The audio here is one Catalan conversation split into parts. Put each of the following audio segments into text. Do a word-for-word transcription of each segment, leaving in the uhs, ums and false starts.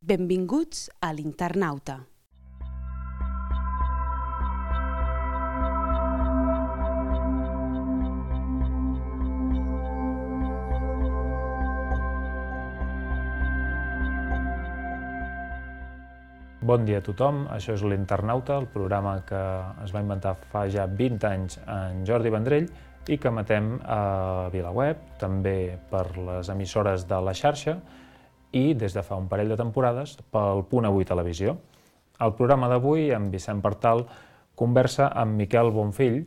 Benvinguts a l'Internauta. Bon dia a tothom, això és l'Internauta, el programa que es va inventar fa ja vint anys en Jordi Vendrell i que emetem a VilaWeb, també per les emissores de la xarxa i des de fa un parell de temporades pel Punt Avui Televisió. El programa d'avui, amb Vicent Partal, conversa amb Miquel Bonfill,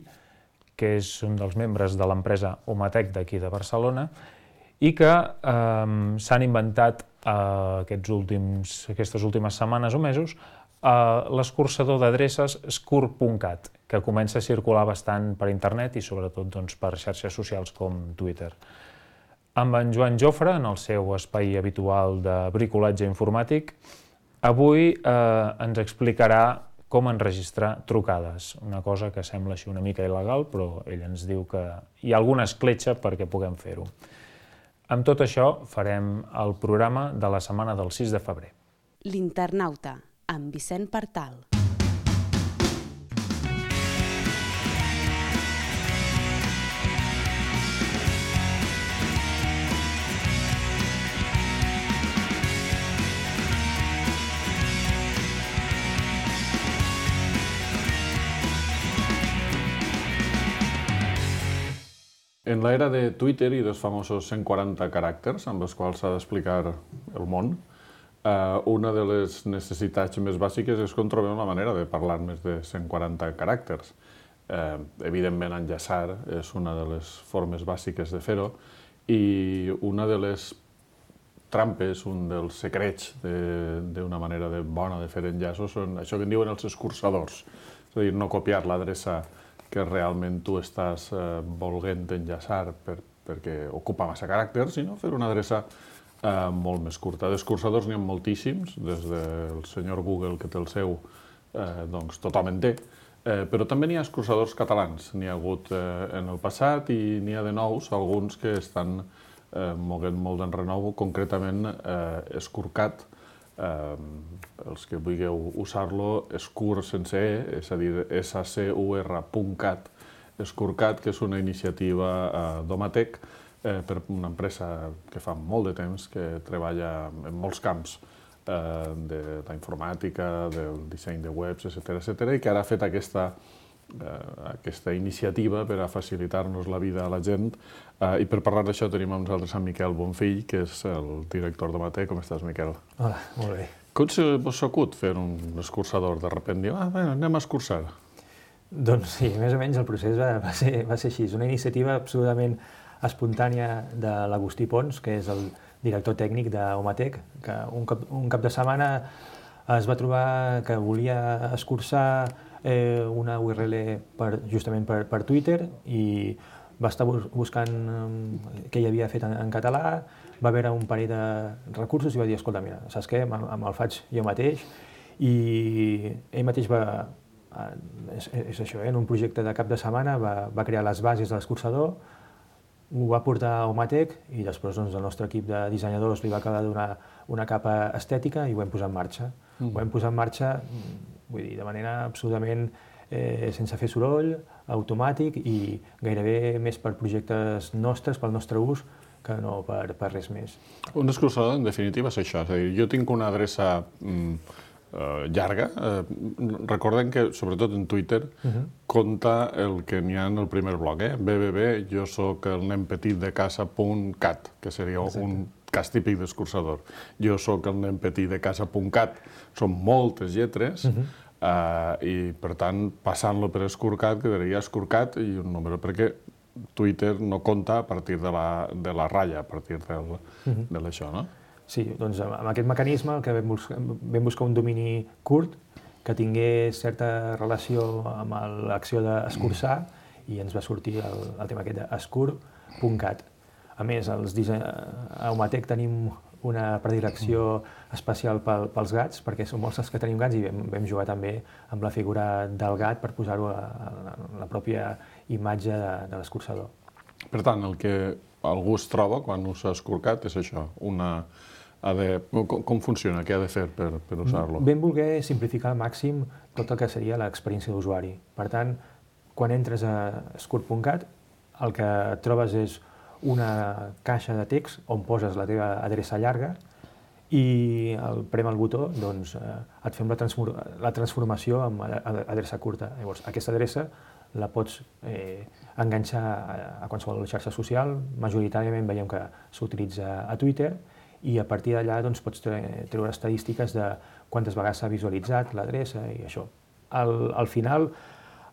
que és un dels membres de l'empresa Omatec d'aquí de Barcelona i que eh, s'han inventat eh, aquests últims, aquestes últimes setmanes o mesos eh, l'escurçador d'adreces Skur punt cat, que comença a circular bastant per internet i sobretot doncs, per xarxes socials com Twitter. Amb en Joan Jofre, en el seu espai habitual de bricolatge informàtic, avui eh, ens explicarà com enregistrar trucades, una cosa que sembla així una mica il·legal, però ell ens diu que hi ha alguna escletxa perquè puguem fer-ho. Amb tot això farem el programa de la setmana del sis de febrer. L'Internauta, amb Vicent Partal. En l'era de Twitter i dels famosos cent quaranta caràcters amb els quals s'ha d'explicar el món, eh, una de les necessitats més bàsiques és que trobem la manera de parlar més de cent quaranta caràcters. Eh, evidentment, enllaçar és una de les formes bàsiques de fer-ho i una de les trampes, un dels secrets d'una manera de bona de fer enllaços són això que en diuen els escurçadors, és a dir, no copiar l'adreça que realment tu estàs eh, volent enllaçar per, perquè ocupa massa caràcters, sinó fer una adreça eh, molt més curta. D'escurçadors n'hi ha moltíssims, des del senyor Google que té el seu, eh, doncs tothom en té, eh, però també n'hi ha escurçadors catalans. N'hi ha hagut eh, en el passat i n'hi ha de nous, alguns que estan eh, moguent molt d'enrenou, concretament eh, Skurcat. Eh, els que vulgueu usar-lo, Skur sense E, és a dir, S C U R punt cat, Skurcat, que és una iniciativa eh, d'Omatec eh, per una empresa que fa molt de temps que treballa en molts camps eh, de la informàtica, del disseny de webs, etcètera, etcètera, i que ara ha fet aquesta, eh, aquesta iniciativa per a facilitar-nos la vida a la gent. Uh, I per parlar d'això tenim amb nosaltres en Miquel Bonfill, que és el director d'Omatec. Com estàs, Miquel? Hola, molt bé. Com se vos acut fer un escurçador? De sobte diu, ah, bueno, anem a escurçar. Doncs sí, més o menys el procés va, va, ser, va ser així. És una iniciativa absolutament espontània de l'Agustí Pons, que és el director tècnic d'Omatec, que un cap, un cap de setmana es va trobar que volia escurçar eh, una U R L per, justament per, per Twitter i va estar buscant què hi havia fet en, en català, va veure un parell de recursos i va dir, escolta, mira, saps què, me'l faig jo mateix, i ell mateix va, és, és això, eh? En un projecte de cap de setmana va, va crear les bases de l'escurçador, ho va portar a Omatec i després doncs, el nostre equip de dissenyadors li va acabar de donar una capa estètica i ho vam posar en marxa. Mm. Ho vam posar en marxa, vull dir, de manera absolutament eh, sense fer soroll, automàtic i gairebé més per projectes nostres, pel nostre ús, que no per, per res més. Un escurçador, en definitiva, és això. És a dir, jo tinc una adreça mm, eh, llarga. Eh, recordem que, sobretot en Twitter, uh-huh. compta el que n'hi ha en el primer bloc, eh? B B B, jo soc el nen petit de casa punt cat, que seria Exacte. Un cas típic d'escurçador. Jo soc el nen petit de casa punt cat. Són moltes lletres, uh-huh. Uh, i per tant, passant-lo per Skurcat, quedaria Skurcat i un número, perquè Twitter no compta a partir de la, de la ratlla, a partir del, uh-huh. de l'això, no? Sí, doncs amb aquest mecanisme el que vam buscar, vam buscar un domini curt que tingués certa relació amb l'acció d'escurçar uh-huh. i ens va sortir el, el tema aquest de Skur punt cat. A més, els disseny... a Omatec tenim una predilecció especial pel, pels gats, perquè som molts els que tenim gats i vam, vam jugar també amb la figura del gat per posar-ho a, a la pròpia imatge de, de l'escurçador. Per tant, el que algú es troba quan usa Skurcat és això, una ha de, com, com funciona, què ha de fer per, per usar-lo? Ben voler simplificar al màxim tot el que seria l'experiència d'usuari. Per tant, quan entres a Scurt punt cat, el que trobes és una caixa de text on poses la teva adreça llarga i al prem el botó doncs, eh, et fem la, transform la transformació en adreça curta. Llavors, aquesta adreça la pots eh, enganxar a, a qualsevol xarxa social. Majoritàriament veiem que s'utilitza a Twitter i a partir d'allà doncs, pots treure estadístiques de quantes vegades s'ha visualitzat l'adreça i això. Al, al final,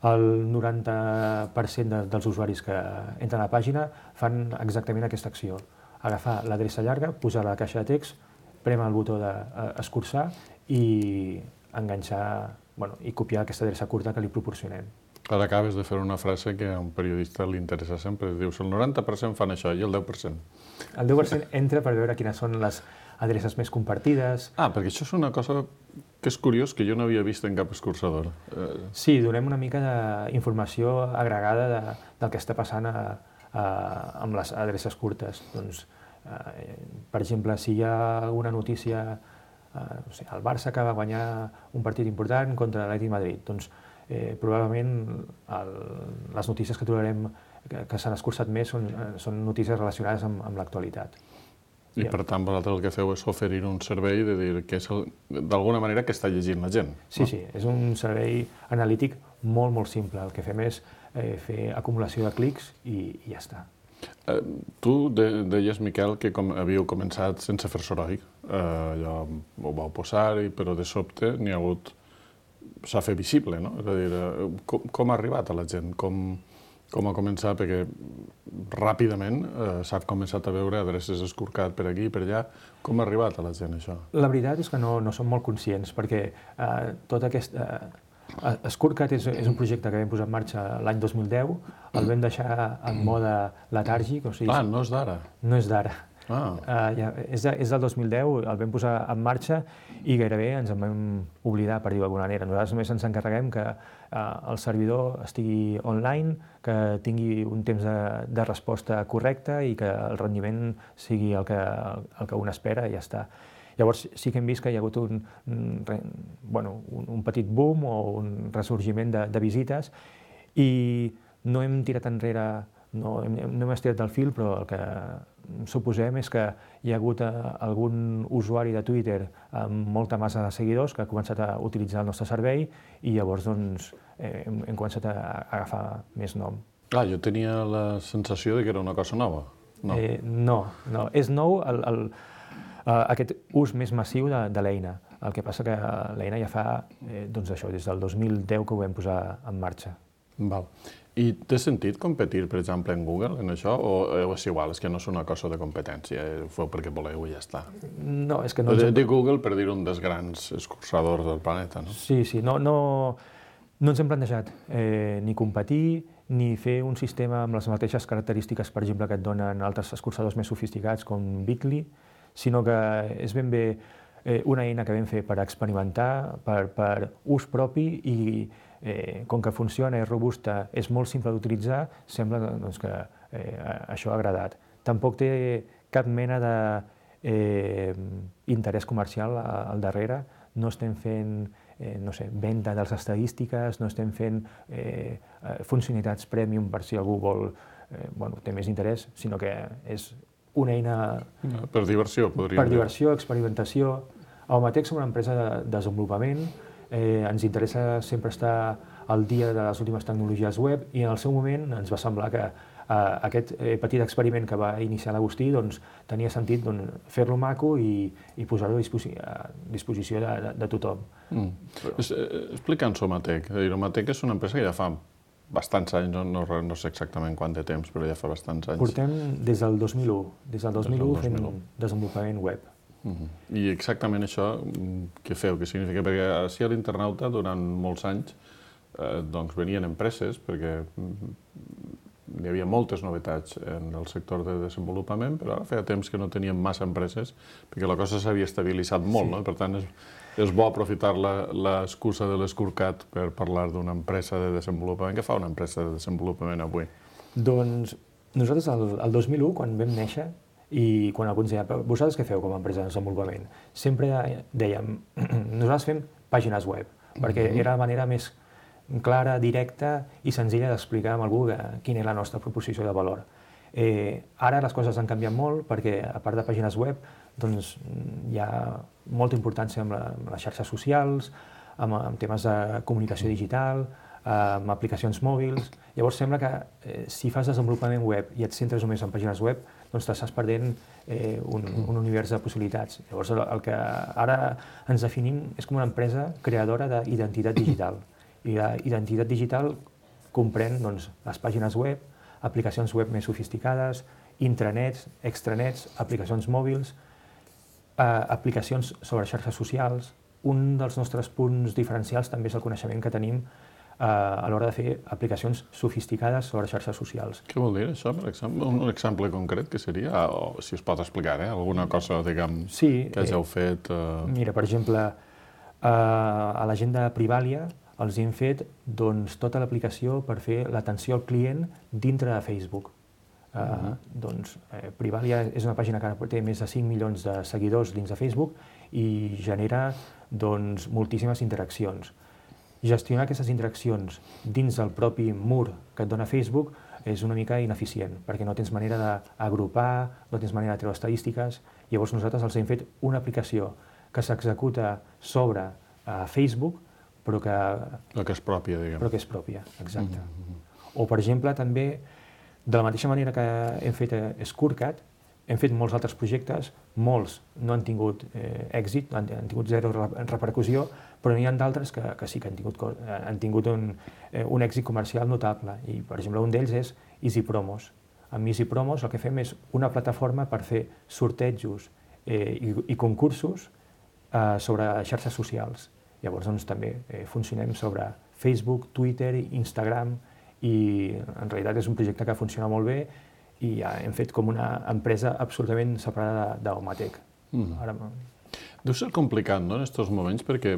el noranta per cent de, dels usuaris que entren a la pàgina fan exactament aquesta acció. Agafar l'adreça llarga, posar la caixa de text, prémer el botó d'escurçar i enganxar bueno, i copiar aquesta adreça curta que li proporcionem. Ara acabes de fer una frase que a un periodista li interessa sempre. Dius, el noranta per cent fan això i el deu per cent. El deu per cent entra per veure quines són les adreces més compartides. Ah, perquè això és una cosa que és curiós, que jo no havia vist en cap escurçador. Sí, donem una mica d'informació agregada de, del que està passant a, a, amb les adreces curtes. Doncs, eh, per exemple, si hi ha alguna notícia, eh, no sé, el Barça que va guanyar un partit important contra l'Atlètic Madrid, doncs eh, probablement el, les notícies que trobarem que, que s'han escurçat més són, són notícies relacionades amb, amb l'actualitat. I per tant, vosaltres el que feu és oferir un servei de dir que és d'alguna manera que està llegint la gent. Sí, no? Sí, és un servei analític molt, molt simple. El que fem és eh, fer acumulació de clics i, i ja està. Eh, tu de, deies, Miquel, que com, havíeu començat sense fer soroll. Eh, allò ho vau posar, però de sobte n'hi ha hagut... s'ha fet visible, no? És a dir, eh, com, com ha arribat a la gent? Com... Com ha començat, perquè ràpidament eh, s'ha començat a veure adreces escorcat per aquí i per allà. Com ha arribat a la gent, això? La veritat és que no, no som molt conscients, perquè eh, tot aquest... Eh, Escorcat és, és un projecte que vam posar en marxa l'any dos mil deu, el vam deixar en mode letàrgic, o sigui... Ah, no és d'ara? No és d'ara. Ah. Uh, ja, és, de, és del dos mil deu, el vam posar en marxa i gairebé ens en vam oblidar, per dir-ho d'alguna manera. Nosaltres només ens encarreguem que uh, el servidor estigui online, que tingui un temps de, de resposta correcte i que el rendiment sigui el que, el que un espera i ja està. Llavors sí que hem vist que hi ha hagut un, un, bueno, un, un petit boom o un ressorgiment de, de visites i no hem tirat enrere, no hem, no hem estirat del fil, però el que suposem és que hi ha hagut algun usuari de Twitter amb molta massa de seguidors que ha començat a utilitzar el nostre servei i llavors doncs, eh, hem, hem començat a agafar més nom. Ah, jo tenia la sensació de que era una cosa nova. No, eh, no, no. És nou el, el, uh, aquest ús més massiu de, de l'eina. El que passa que l'eina ja fa eh, doncs això, des del dos mil deu que ho vam posar en marxa. Val. I té sentit competir, per exemple, en Google, en això, o és igual, és que no és una cosa de competència, ho feu perquè voleu i ja està? No, és que no... De, de Google, per dir un dels grans escurçadors del planeta, no? Sí, sí, no, no, no ens hem plantejat eh, ni competir, ni fer un sistema amb les mateixes característiques, per exemple, que et donen altres escurçadors més sofisticats com Bitly, sinó que és ben bé eh, una eina que vam fer per experimentar, per, per ús propi i Eh, com que funciona, és robusta, és molt simple d'utilitzar, sembla doncs, que eh, això ha agradat. Tampoc té cap mena d'interès eh, comercial al darrere, no estem fent eh, no sé, venda de les estadístiques, no estem fent eh, funcionalitats premium per si algú vol, eh, bueno, té més interès, sinó que és una eina... Per diversió, podríem dir. Per diversió, experimentació. A Omatec som una empresa de desenvolupament. Eh, ens interessa sempre estar al dia de les últimes tecnologies web i en el seu moment ens va semblar que eh, aquest eh, petit experiment que va iniciar l'Agustí doncs, tenia sentit doncs, fer-lo maco i, i posar-ho a, disposi a disposició de, de, de tothom. Mm. Però... Explica'ns Omatec. Omatec és una empresa que ja fa bastants anys, no, no, no sé exactament quant de temps, però ja fa bastants anys. Portem des del dos mil u, des del dos mil u fent desenvolupament web. Uh-huh. I exactament això, què feu, què significa? Perquè així a l'Internauta, durant molts anys, eh, doncs venien empreses, perquè hi havia moltes novetats en el sector de desenvolupament, però ara feia temps que no teníem massa empreses, perquè la cosa s'havia estabilitzat molt, sí. No? Per tant, és, és bo aprofitar l'excusa de l'escorcat per parlar d'una empresa de desenvolupament. Què fa una empresa de desenvolupament avui? Doncs nosaltres, el, el dos mil u, quan vam néixer, I quan algú ens deia, vosaltres què feu com a empresa de desenvolupament? Sempre dèiem, nosaltres fem pàgines web, perquè era la manera més clara, directa i senzilla d'explicar a algú quina és la nostra proposició de valor. Eh, ara les coses han canviat molt perquè, a part de pàgines web, doncs, hi ha molta importància amb, la, amb les xarxes socials, amb, amb temes de comunicació digital, amb aplicacions mòbils. Llavors sembla que eh, si fas desenvolupament web i et centres només en pàgines web, doncs t'estàs perdent eh, un, un univers de possibilitats. Llavors el, el que ara ens definim és com una empresa creadora d'identitat digital. I la identitat digital comprèn doncs, les pàgines web, aplicacions web més sofisticades, intranets, extranets, aplicacions mòbils, eh, aplicacions sobre xarxes socials. Un dels nostres punts diferencials també és el coneixement que tenim a l'hora de fer aplicacions sofisticades sobre xarxes socials. Què vol dir això, per exemple? Un exemple concret que seria, o si es pot explicar, eh? Alguna cosa, diguem, sí, que hàgiu fet... Eh... Mira, per exemple, eh, a la gent de Privalia els hem fet doncs, tota l'aplicació per fer l'atenció al client dintre de Facebook. Eh, uh-huh. Doncs eh, Privalia és una pàgina que té més de cinc milions de seguidors dins de Facebook i genera doncs, moltíssimes interaccions. Gestionar aquestes interaccions dins del propi mur que et dona Facebook és una mica ineficient, perquè no tens manera d'agrupar, no tens manera de treure estadístiques. Llavors nosaltres els hem fet una aplicació que s'executa sobre uh, Facebook, però que... Però que és pròpia, diguem. Però que és pròpia, exacte. Mm-hmm. O, per exemple, també, de la mateixa manera que hem fet Scorecard, hem fet molts altres projectes, molts no han tingut eh, èxit, han, han tingut zero repercussió, però n'hi ha d'altres que, que sí que han tingut, han tingut un, eh, un èxit comercial notable. I, per exemple, un d'ells és Easy Promos. Amb Easy Promos el que fem és una plataforma per fer sortejos eh, i, i concursos eh, sobre xarxes socials. Llavors, doncs, també eh, funcionem sobre Facebook, Twitter, Instagram, i en realitat és un projecte que funciona molt bé i ja hem fet com una empresa absolutament separada d'Omatec. Mm. Ara... Deu ser complicat, no?, en aquests moments, perquè,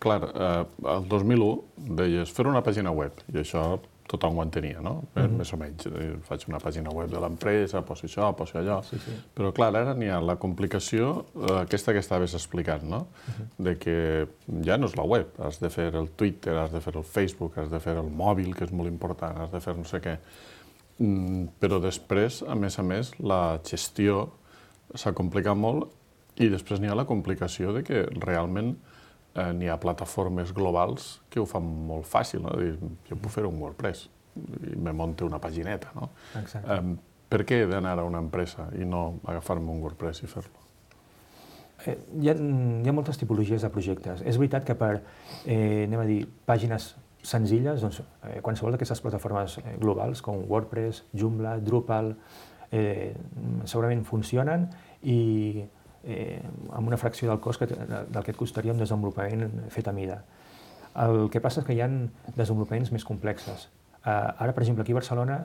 clar, eh, el dos mil u deies fer una pàgina web, i això tothom ho entenia, no?, mm-hmm. més o menys. Faig una pàgina web de l'empresa, poso això, poso allò. Sí, sí. Però, clar, ara n'hi ha la complicació, eh, aquesta que estaves explicant, no?, mm-hmm. de que ja no és la web, has de fer el Twitter, has de fer el Facebook, has de fer el mòbil, que és molt important, has de fer no sé què. Mm, però després, a més a més, la gestió s'ha complicat molt i després n'hi ha la complicació de que realment eh, n'hi ha plataformes globals que ho fan molt fàcil, no? Dir, jo puc fer un WordPress i me monte una pagineta, no? Exacte. Eh, per què he d'anar a una empresa i no agafar-me un WordPress i fer-lo? Eh, hi, ha, hi ha moltes tipologies de projectes. És veritat que per, eh, anem a dir, pàgines senzilles, doncs, eh, qualsevol d'aquestes plataformes eh, globals, com WordPress, Joomla, Drupal, eh, segurament funcionen i eh, amb una fracció del cost que, del que et costaria un desenvolupament fet a mida. El que passa és que hi ha desenvolupaments més complexes. Eh, ara, per exemple, aquí a Barcelona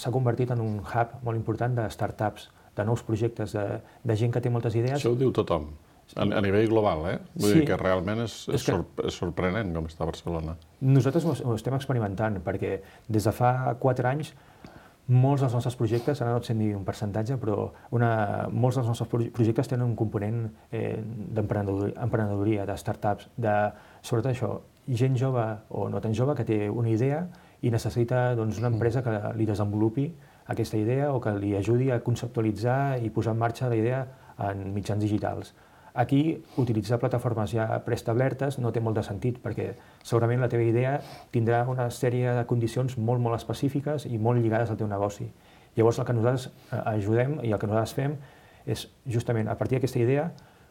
s'ha convertit en un hub molt important de startups, de nous projectes, de, de gent que té moltes idees. Això ho diu tothom. A, a nivell global, eh? Vull sí. dir que realment és, és, és, que... sorp és sorprenent com està Barcelona. Nosaltres ho, ho estem experimentant, perquè des de fa quatre anys molts dels nostres projectes, ara no et sé dir un percentatge, però una, molts dels nostres projectes tenen un component eh, d'emprenedoria, de startups, de, sobretot això, gent jove o no tan jove que té una idea i necessita doncs, una empresa que li desenvolupi aquesta idea o que li ajudi a conceptualitzar i posar en marxa la idea en mitjans digitals. Aquí, utilitzar plataformes ja preestablertes no té molt de sentit, perquè segurament la teva idea tindrà una sèrie de condicions molt, molt específiques i molt lligades al teu negoci. Llavors, el que nosaltres ajudem i el que nosaltres fem és, justament, a partir d'aquesta idea,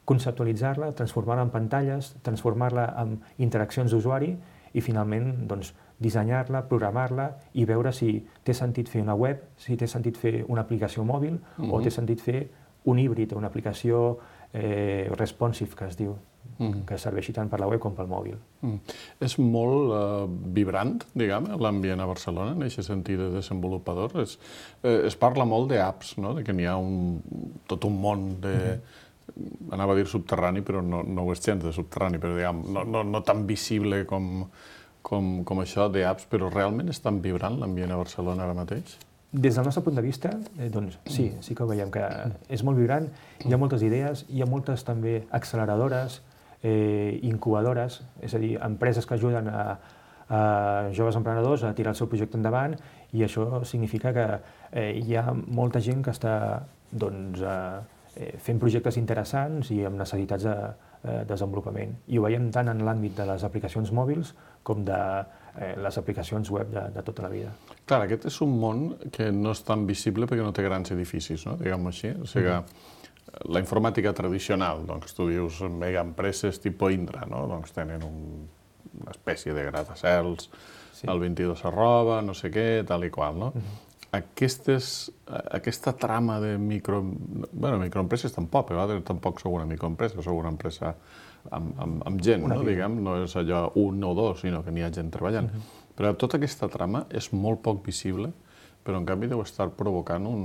conceptualitzar-la, transformar-la en pantalles, transformar-la en interaccions d'usuari i, finalment, doncs, dissenyar-la, programar-la i veure si té sentit fer una web, si té sentit fer una aplicació mòbil mm-hmm. o té sentit fer un híbrid, una aplicació Eh, responsive, que es diu, mm. que serveixi tant per la web com pel mòbil. Mm. És molt eh, vibrant, diguem, l'ambient a Barcelona, en aquest sentit de desenvolupador. Es, eh, es parla molt d'apps, no? De que n'hi ha un, tot un món de... Mm-hmm. Anava a dir subterrani, però no, no ho és gens de subterrani, però diguem, no, no, no tan visible com, com, com això d'apps, però realment és tan vibrant l'ambient a Barcelona ara mateix? des del nostre punt de vista, eh, doncs sí, sí que ho veiem, que és molt vibrant, hi ha moltes idees, hi ha moltes també acceleradores, eh, incubadores, és a dir, empreses que ajuden a, a joves emprenedors a tirar el seu projecte endavant, i això significa que eh, hi ha molta gent que està doncs, eh, fent projectes interessants i amb necessitats de eh, desenvolupament. I ho veiem tant en l'àmbit de les aplicacions mòbils com de eh, les aplicacions web de, de tota la vida. Clar, aquest és un món que no és tan visible perquè no té grans edificis, no? Diguem-ho així. O sigui que la informàtica tradicional, doncs tu dius mega empreses tipus Indra, no? Doncs tenen un, una espècie de gratacels, sí. El vint-i-dos arroba, no sé què, tal i qual, no? Uh-huh. Aquestes, aquesta trama de micro... Bueno, microempreses tampoc, a vegades tampoc sou una microempresa, sou una empresa amb, amb, amb gent, no? Diguem, no és allò un o dos, sinó que n'hi ha gent treballant. Uh-huh. Però tota aquesta trama és molt poc visible, però en canvi deu estar provocant un,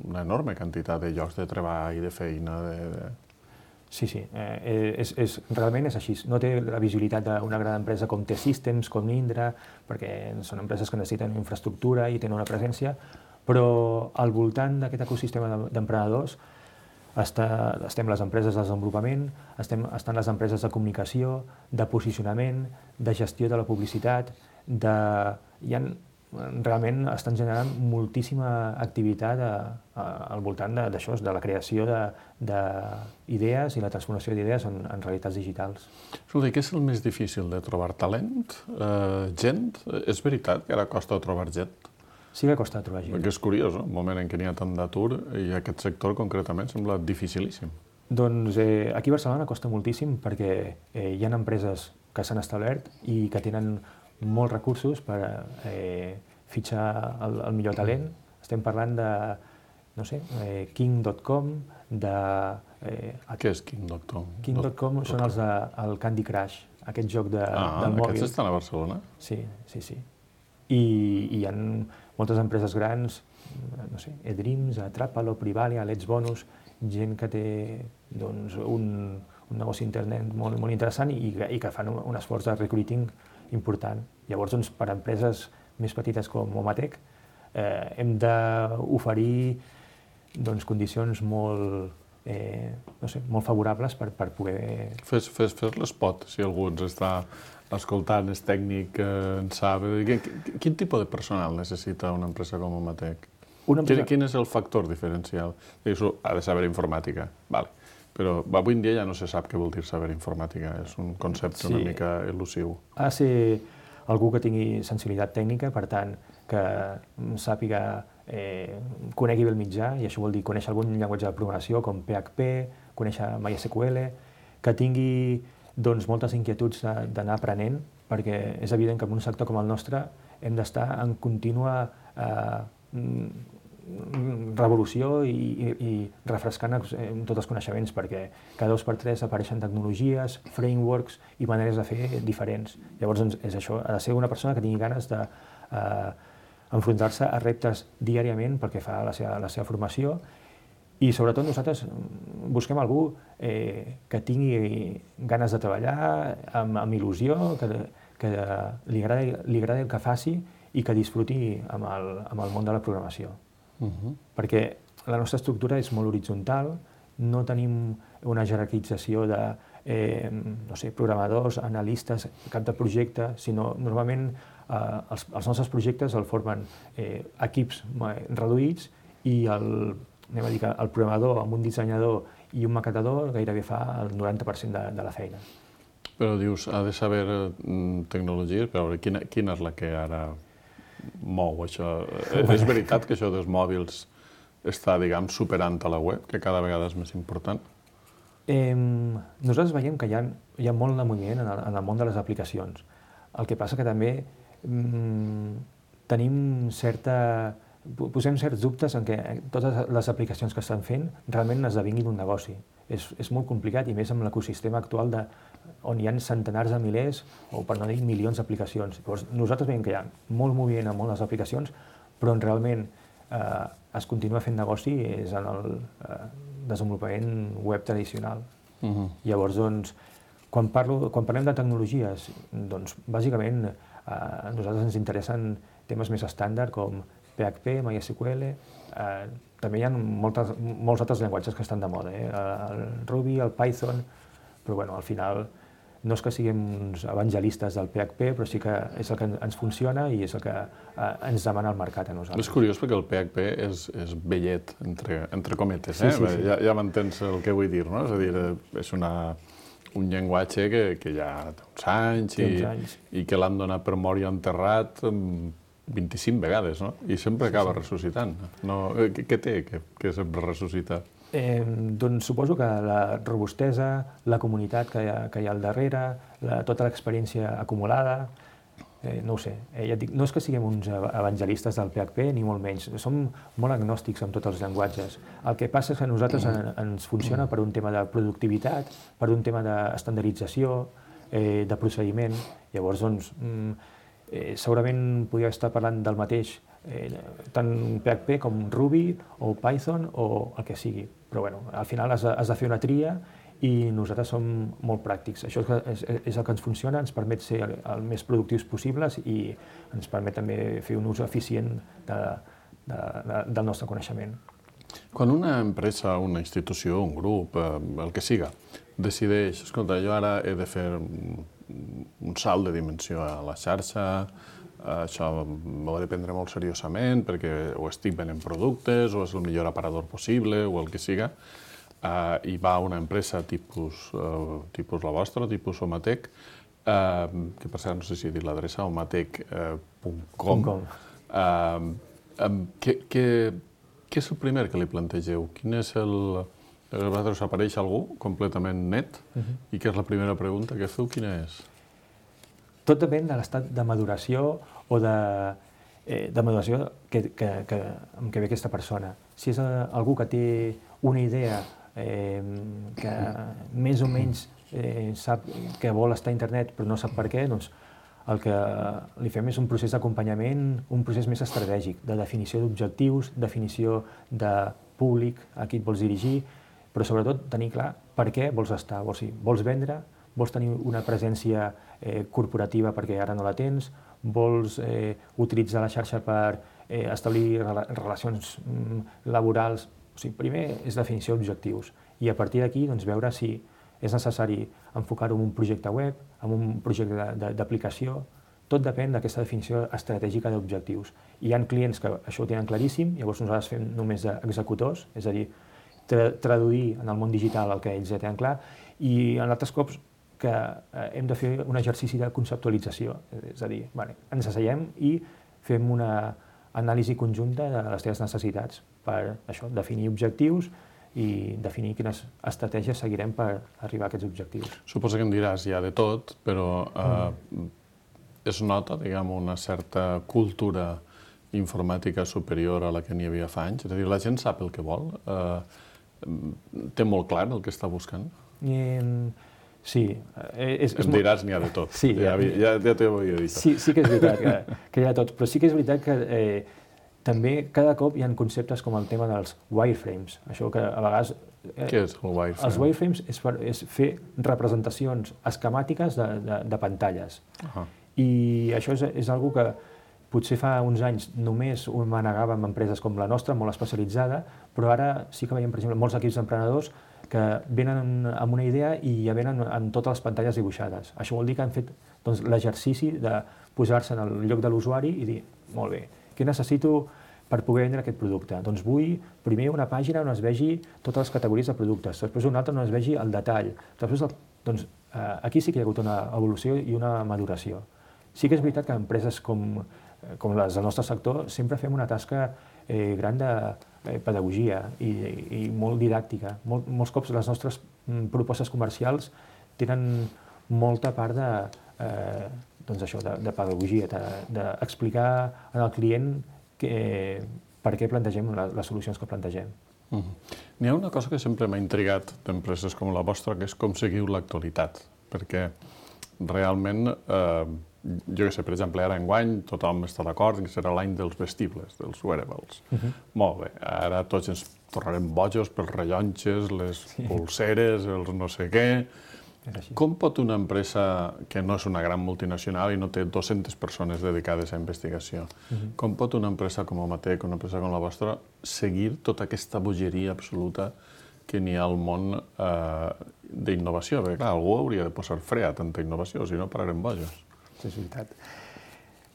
una enorme quantitat de llocs de treball, de feina, de... de... Sí, sí, eh, és, és, realment és així. No té la visibilitat d'una gran empresa com T-Systems, com Indra, perquè són empreses que necessiten infraestructura i tenen una presència, però al voltant d'aquest ecosistema d'emprenedors està, estem les empreses de desenvolupament, estem, estan les empreses de comunicació, de posicionament, de gestió de la publicitat, de... Hi ha, realment estan generant moltíssima activitat a, a, al voltant d'això, de, de la creació d'idees i la transformació d'idees en, en realitats digitals. Escolta, què és el més difícil de trobar talent? Eh, gent? És veritat que ara costa trobar gent? Sí que costa trobar gent. Perquè és curiós, no? Un moment en què n'hi ha tant d'atur i aquest sector concretament sembla dificilíssim. Doncs eh, aquí a Barcelona costa moltíssim perquè eh, hi ha empreses que s'han establert i que tenen molts recursos per eh, fitxar el, el millor talent. Estem parlant de, no sé, eh, King punt com, de... Eh, Què és King punt com? King punt com són els del de Candy Crush, aquest joc de, ah, del mòbil. Aquests estan a Barcelona? Sí, sí, sí. I, i hi ha moltes empreses grans, no sé, eDreams, Atrapalo, Privalia, Let's Bonus, gent que té doncs, un, un negoci internet molt, molt interessant i, i que fan un, un esforç de recruiting important. Llavors, doncs, per a empreses més petites com Omatec, eh, hem d'oferir doncs, condicions molt, eh, no sé, molt favorables per, per poder... Fes, fes, fes l'espot, si algú ens està escoltant, és tècnic, eh, en sap... Quin, quin tipus de personal necessita una empresa com Omatec? Empresa... Quin, quin és el factor diferencial? Dius, ha de saber informàtica, vale. Però avui en dia ja no se sap què vol dir saber informàtica, és un concepte sí. una mica elusiu. Ha de ser algú que tingui sensibilitat tècnica, per tant, que sàpiga, eh, conegui bé el mitjà, i això vol dir conèixer algun llenguatge de programació com P H P, conèixer MySQL, que tingui doncs, moltes inquietuds d'anar aprenent, perquè és evident que en un sector com el nostre hem d'estar en contínua eh, revolució i, i, i refrescant tots els coneixements, perquè cada dos per tres apareixen tecnologies, frameworks i maneres de fer diferents. Llavors, doncs, és això, ha de ser una persona que tingui ganes de eh, enfrontar-se a reptes diàriament perquè fa la seva, la seva formació, i sobretot nosaltres busquem algú eh, que tingui ganes de treballar amb, amb il·lusió, que, que li agradi, li agradi el que faci i que disfruti amb el, amb el món de la programació. Uh-huh. Perquè la nostra estructura és molt horitzontal, no tenim una jerarquització de eh, no sé, programadors, analistes, cap de projecte, sinó normalment eh, els, els nostres projectes el formen eh, equips reduïts i el, anem a dir que el programador amb un dissenyador i un maquetador gairebé fa el noranta per cent de, de la feina. Però dius, ha de saber mm, tecnologies, però quina, quina és la que ara mou això? És veritat que això dels mòbils està, diguem, superant a la web, que cada vegada és més important? Eh, nosaltres veiem que hi ha, hi ha molt de moviment en el, en el món de les aplicacions. El que passa que també mm, tenim certa... posem certs dubtes en què totes les aplicacions que estan fent realment esdevinguin un negoci. És, és molt complicat, i més amb l'ecosistema actual de, on hi ha centenars de milers, o per no dir milions d'aplicacions. Llavors, nosaltres veiem que hi ha molt moviment en moltes aplicacions, però on realment eh, es continua fent negoci és en el eh, desenvolupament web tradicional. Uh-huh. Llavors, doncs, quan, parlo, quan parlem de tecnologies, doncs, bàsicament, eh, a nosaltres ens interessen temes més estàndard com P H P, MySQL, eh, també hi ha moltes, molts altres llenguatges que estan de moda, eh? El Ruby, el Python, però bueno, al final no és que siguem uns evangelistes del P H P, però sí que és el que ens funciona i és el que eh, ens demana el mercat a nosaltres. És curiós perquè el P H P és, és vellet, entre, entre cometes, eh? Sí, sí, sí. Ja, ja m'entens el que vull dir, no? És a dir, és una, un llenguatge que, que ja té uns anys, i, uns anys. i que l'han donat per mort i enterrat vint-i-cinc vegades, no? I sempre acaba sí, sí. ressuscitant. No, què, què té que, que sempre ressuscita? Eh, doncs suposo que la robustesa, la comunitat que hi ha, que hi ha al darrere, la, tota l'experiència acumulada, eh, no ho sé. Eh, ja et dic, no és que siguem uns evangelistes del P H P, ni molt menys. Som molt agnòstics amb tots els llenguatges. El que passa és que a nosaltres en, ens funciona per un tema de productivitat, per un tema d'estandardització, eh, de procediment. Llavors, doncs, eh, segurament podria estar parlant del mateix Eh, tant P H P com Ruby o Python o el que sigui. Però bueno, al final has de, has de fer una tria i nosaltres som molt pràctics. Això és, és el que ens funciona, ens permet ser el, el més productius possibles i ens permet també fer un ús eficient de, de, de, del nostre coneixement. Quan una empresa, una institució, un grup, eh, el que siga, decideix, escolta, jo ara he de fer un salt de dimensió a la xarxa, això m'ho he de prendre molt seriosament perquè o estic venent productes o és el millor aparador possible o el que siga, uh, i va a una empresa tipus, uh, tipus la vostra, tipus Omatec, uh, que per cert no sé si he dit l'adreça, omatec punt com. Uh, um, què, què, què és el primer que li plantegeu? Quin és el... A vosaltres us apareix algú completament net uh-huh. i què és la primera pregunta que feu? Quina és? Tot depèn de l'estat de maduració o de, eh, de maduració que, que, que, amb què ve aquesta persona. Si és algú que té una idea eh, que més o menys eh, sap que vol estar a internet però no sap per què, doncs el que li fem és un procés d'acompanyament, un procés més estratègic, de definició d'objectius, definició de públic a qui et vols dirigir, però sobretot tenir clar per què vols estar. O sigui, vols vendre, vols tenir una presència eh, corporativa perquè ara no la tens, vols eh, utilitzar la xarxa per eh, establir rela relacions mm, laborals. O sigui, primer és definició d'objectius i a partir d'aquí doncs, veure si és necessari enfocar-ho en un projecte web, en un projecte d'aplicació. Tot depèn d'aquesta definició estratègica d'objectius. Hi ha clients que això ho tenen claríssim, llavors nosaltres fem només d'executors, és a dir, tra traduir en el món digital el que ells ja tenen clar, i en altres cops que eh, hem de fer un exercici de conceptualització, és a dir, vale, ens asseiem i fem una anàlisi conjunta de les teves necessitats per això, definir objectius i definir quines estratègies seguirem per arribar a aquests objectius. Suposo que em diràs ja de tot, però eh, mm. es nota, diguem, una certa cultura informàtica superior a la que n'hi havia fa anys? És a dir, la gent sap el que vol? Eh, té molt clar el que està buscant? Eh, Sí. És, és em diràs n'hi ha de tot, sí, ja, ja, ja t'ho havia dit. Sí, sí que és veritat que, que hi ha de tot, però sí que és veritat que eh, també cada cop hi ha conceptes com el tema dels wireframes. Això que a vegades... Eh, Què és el wireframe? Els wireframes és, per, és fer representacions esquemàtiques de, de, de pantalles. Uh-huh. I això és, és una que potser fa uns anys només ho manegàvem amb empreses com la nostra, molt especialitzada, però ara sí que veiem, per exemple, molts equips d'emprenedors que venen amb una idea i ja venen amb totes les pantalles dibuixades. Això vol dir que han fet doncs, l'exercici de posar-se en el lloc de l'usuari i dir, molt bé, què necessito per poder vendre aquest producte? Doncs vull primer una pàgina on es vegi totes les categories de productes, després una altra on es vegi el detall. Després, doncs, aquí sí que hi ha hagut una evolució i una maduració. Sí que és veritat que empreses com, com les del nostre sector sempre fem una tasca eh, gran de eh, pedagogia i, i molt didàctica. Mol, molts cops les nostres mm, propostes comercials tenen molta part de, eh, doncs això, de, de pedagogia, d'explicar de, al client que, eh, per què plantegem la, les solucions que plantegem. Mm-hmm. N'hi ha una cosa que sempre m'ha intrigat d'empreses com la vostra, que és com seguiu l'actualitat, perquè realment, eh, jo què sé, per exemple, ara enguany tothom està d'acord que serà l'any dels vestibles, dels wearables. Uh-huh. Molt bé, ara tots ens tornarem bojos pels rellotges, les sí. pulseres, els no sé què, És així. Com pot una empresa que no és una gran multinacional i no té dues-centes persones dedicades a investigació, uh-huh. com pot una empresa com Omatec, una empresa com la vostra, seguir tota aquesta bogeria absoluta que n'hi ha al món eh, d'innovació? Perquè, clar, algú hauria de posar fre a tanta innovació, si no pararem bojos. Sí, és veritat.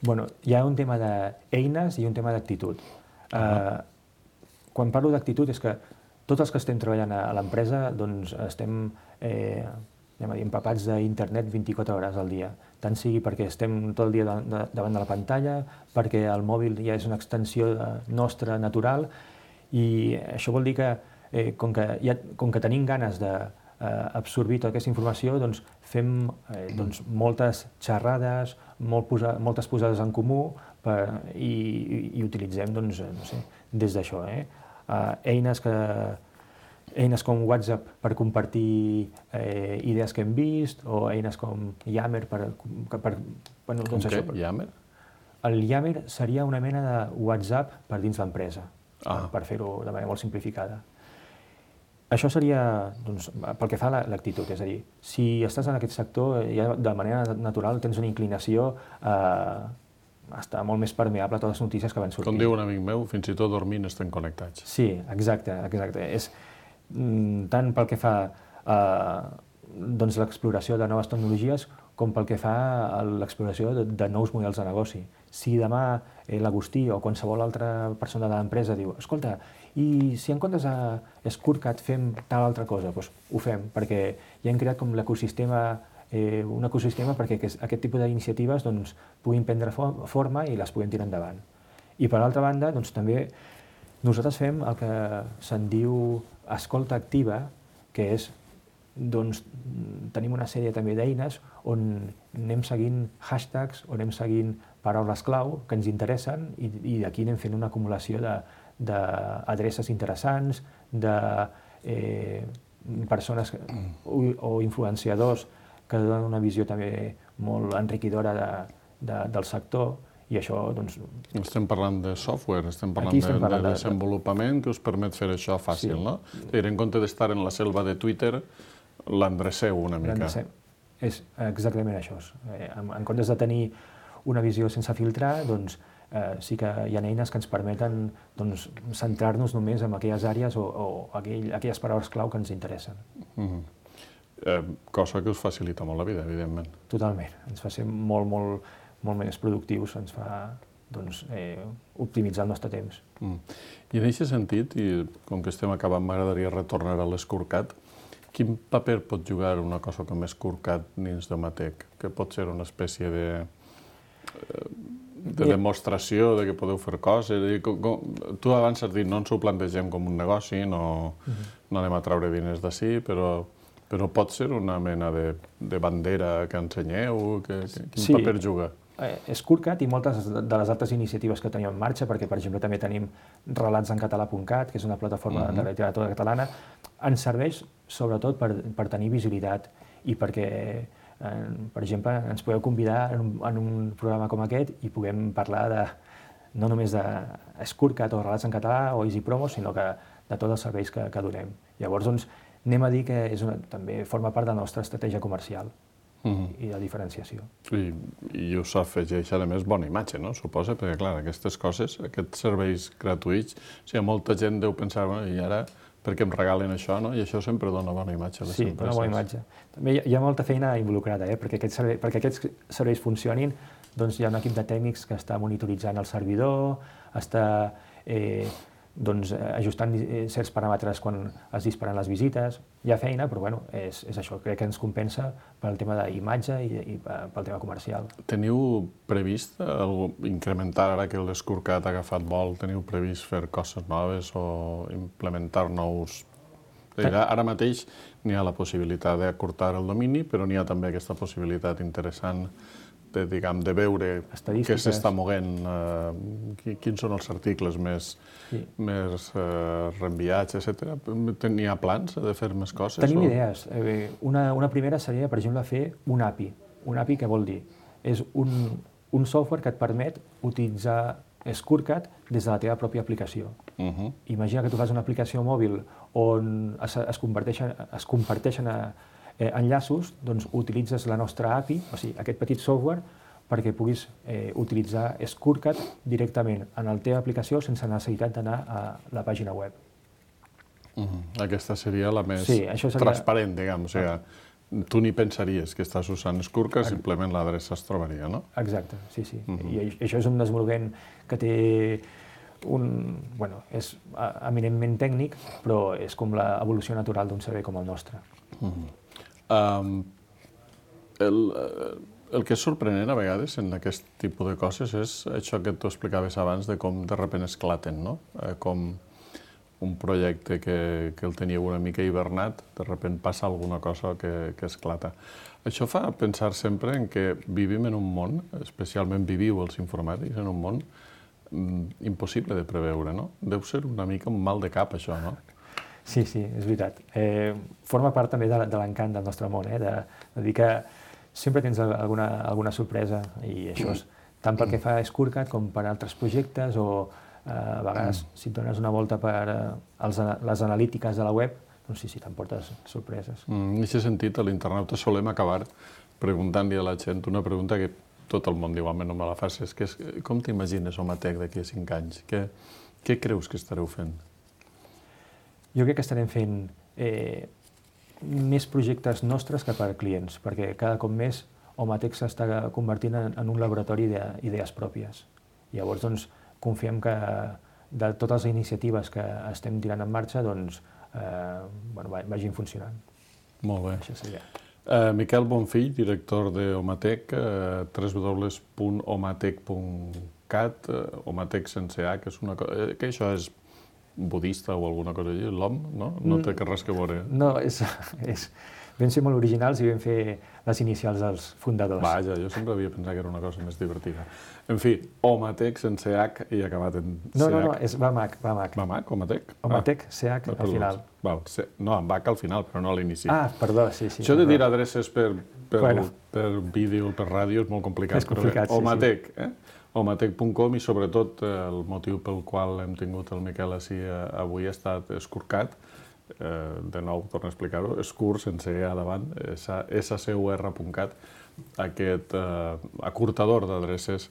Bueno, hi ha un tema d'eines i un tema d'actitud. Uh-huh. Uh, quan parlo d'actitud és que tots els que estem treballant a l'empresa doncs estem eh, anem a dir, empapats d'internet vint-i-quatre hores al dia. Tant sigui perquè estem tot el dia davant de la pantalla, perquè el mòbil ja és una extensió nostra natural, i això vol dir que, eh, com, que ja, com que tenim ganes d'absorbir eh, tota aquesta informació, doncs fem eh, doncs, moltes xerrades, molt posa, moltes posades en comú per, i, i, i utilitzem doncs, no sé, des d'això. Eh? Uh, eines que eines com WhatsApp per compartir eh, idees que hem vist, o eines com Yammer per... per bueno, doncs com això, què? Yammer? El Yammer seria una mena de WhatsApp per dins l'empresa, ah. per fer-ho de manera molt simplificada. Això seria, doncs, pel que fa a l'actitud, és a dir, si estàs en aquest sector, ja de manera natural tens una inclinació a estar molt més permeable a totes les notícies que van sortint. Com diu un amic meu, fins i tot dormint estem connectats. Sí, exacte, exacte. És tant pel que fa a doncs, l'exploració de noves tecnologies com pel que fa a l'exploració de, de nous models de negoci. Si demà eh, l'Agustí o qualsevol altra persona de l'empresa diu escolta, i si en comptes de Scorecard fem tal altra cosa, doncs ho fem, perquè ja hem creat com l'ecosistema, eh, un ecosistema perquè aquest, aquest tipus d'iniciatives doncs, puguin prendre forma i les puguem tirar endavant. I per altra banda, doncs, també nosaltres fem el que se'n diu escolta activa, que és, doncs, tenim una sèrie també d'eines on anem seguint hashtags, on anem seguint paraules clau que ens interessen i, i d'aquí anem fent una acumulació d'adreces interessants, de eh, persones o, o influenciadors que donen una visió també molt enriquidora de, de, del sector. I això, doncs... Estem parlant de software, estem parlant, estem parlant de, de desenvolupament que us permet fer això fàcil, sí. No? Dir, en compte d'estar en la selva de Twitter, l'endreceu una mica. És exactament això. En, en comptes de tenir una visió sense filtrar, doncs eh, sí que hi ha eines que ens permeten doncs, centrar-nos només en aquelles àrees o, o aquell, aquelles paraules clau que ens interessen. Mm-hmm. eh, cosa que us facilita molt la vida, evidentment. Totalment. Ens fa ser molt, molt... molt més productius, ens fa doncs, eh, optimitzar el nostre temps. Mm. I en aquest sentit, i com que estem acabant, m'agradaria retornar a l'Scorecard, quin paper pot jugar una cosa com Scorecard dins d'Omatec? Que pot ser una espècie de, de demostració de que podeu fer coses? Com, com, tu abans has dit, no ens ho plantegem com un negoci, no, uh-huh. no anem a treure diners d'ací, però... Però pot ser una mena de, de bandera que ensenyeu? Que, que, quin sí. paper juga? Eh, Scorecard i moltes de les altres iniciatives que tenim en marxa, perquè, per exemple, també tenim relats en català punt cat, que és una plataforma uh-huh. de literatura catalana, ens serveix sobretot per, per tenir visibilitat i perquè, eh, per exemple, ens podeu convidar en un, en un programa com aquest i puguem parlar de, no només de Scorecard o relats en català o Easy Promo, sinó que de tots els serveis que, que donem. Llavors, doncs, anem a dir que és una, també forma part de la nostra estratègia comercial uh-huh. i de diferenciació. I, i us afegeix, a més, bona imatge, no? Suposa, perquè, clar, aquestes coses, aquests serveis gratuïts, o sigui, molta gent deu pensar, bueno, i ara, per què em regalen això, no? I això sempre dona bona imatge a les sí, empreses. Sí, dona bona imatge. També hi ha, hi ha molta feina involucrada, eh? perquè, aquests serveis, perquè aquests serveis funcionin, doncs hi ha un equip de tècnics que està monitoritzant el servidor, està... Eh, doncs, ajustant certs paràmetres quan es disparen les visites. Hi ha feina, però bueno, és, és això, crec que ens compensa pel tema d'imatge i, i pel tema comercial. Teniu previst el, incrementar, ara que l'Scorecard ha agafat vol, teniu previst fer coses noves o implementar nous... Ara mateix n'hi ha la possibilitat d'acurtar el domini, però n'hi ha també aquesta possibilitat interessant de, diguem, de veure què s'està moguent, eh, quins són els articles més, sí. més eh, reenviats, etcètera. N'hi ha plans de fer més coses? Tenim o... idees. Una, una primera seria, per exemple, fer un A P I. Un A P I què vol dir? És un, un software que et permet utilitzar Scorecard des de la teva pròpia aplicació. Uh-huh. Imagina que tu fas una aplicació mòbil on es, es, converteixen, es comparteixen a, eh, enllaços, doncs utilitzes la nostra A P I, o sigui, aquest petit software, perquè puguis eh, utilitzar Skirkat directament en la teva aplicació sense necessitat d'anar a la pàgina web. Mm-hmm. Aquesta seria la més sí, això seria... transparent, diguem. O sigui, tu ni pensaries que estàs usant Skirkat, simplement l'adreça es trobaria, no? Exacte, sí, sí. Mm-hmm. I això és un desenvolupament que té un... Bueno, és eminentment tècnic, però és com l'evolució natural d'un servei com el nostre. Mm-hmm. um, el, el que és sorprenent a vegades en aquest tipus de coses és això que tu explicaves abans de com de sobte esclaten, no? Eh, com un projecte que, que el teníeu una mica hibernat, de sobte passa alguna cosa que, que esclata. Això fa pensar sempre en que vivim en un món, especialment viviu els informàtics, en un món mm, impossible de preveure, no? Deu ser una mica un mal de cap, això, no? Sí, sí, és veritat. Eh, forma part també de, de l'encant del nostre món, eh? de, de dir que sempre tens alguna, alguna sorpresa, i això és tant pel que fa a Skirkat com per altres projectes, o eh, a vegades, mm. si et dones una volta per eh, els, les analítiques de la web, doncs sí, sí, t'emportes sorpreses. Mm, en aquest sentit, a l'internauta solem acabar preguntant-li a la gent una pregunta que tot el món diu, home, no me la facis, que és com t'imagines Omatec d'aquí a cinc anys? Què, què creus que estareu fent? Jo crec que estarem fent eh, més projectes nostres que per clients, perquè cada cop més Omatec s'està convertint en, en un laboratori d'idees pròpies. Llavors, doncs, confiem que de totes les iniciatives que estem tirant en marxa, doncs, eh, bueno, vagin funcionant. Molt bé. Això seria. Uh, Miquel Bonfill, director d'Omatec, uh, w w w punt omatec punt cat, uh, Omatec sense H, que, és una cosa, que això és budista o alguna cosa així, l'O M, no? No té res que veure. No, és, és... Vam ser molt originals i vam fer les inicials dels fundadors. Vaja, jo sempre havia pensat que era una cosa més divertida. En fi, Omatec sense H i acabat en C H. No, no, no, és V A M A C, V A M A C. V A M A C, Omatec? Omatec, C H, al final. Val, no, amb H al final, però no a l'inici. Ah, perdó, sí, sí. Això de dir adreces per, per, bueno. per vídeo, per ràdio, és molt complicat. És complicat, però, sí, Omatec, sí. Eh? Omatec punt com, i sobretot el motiu pel qual hem tingut el Miquel així avui ha estat Skirkat. Eh, de nou, torno a explicar-ho, Skir sense E a davant, S C U R punt cat, aquest eh, acurtador d'adreces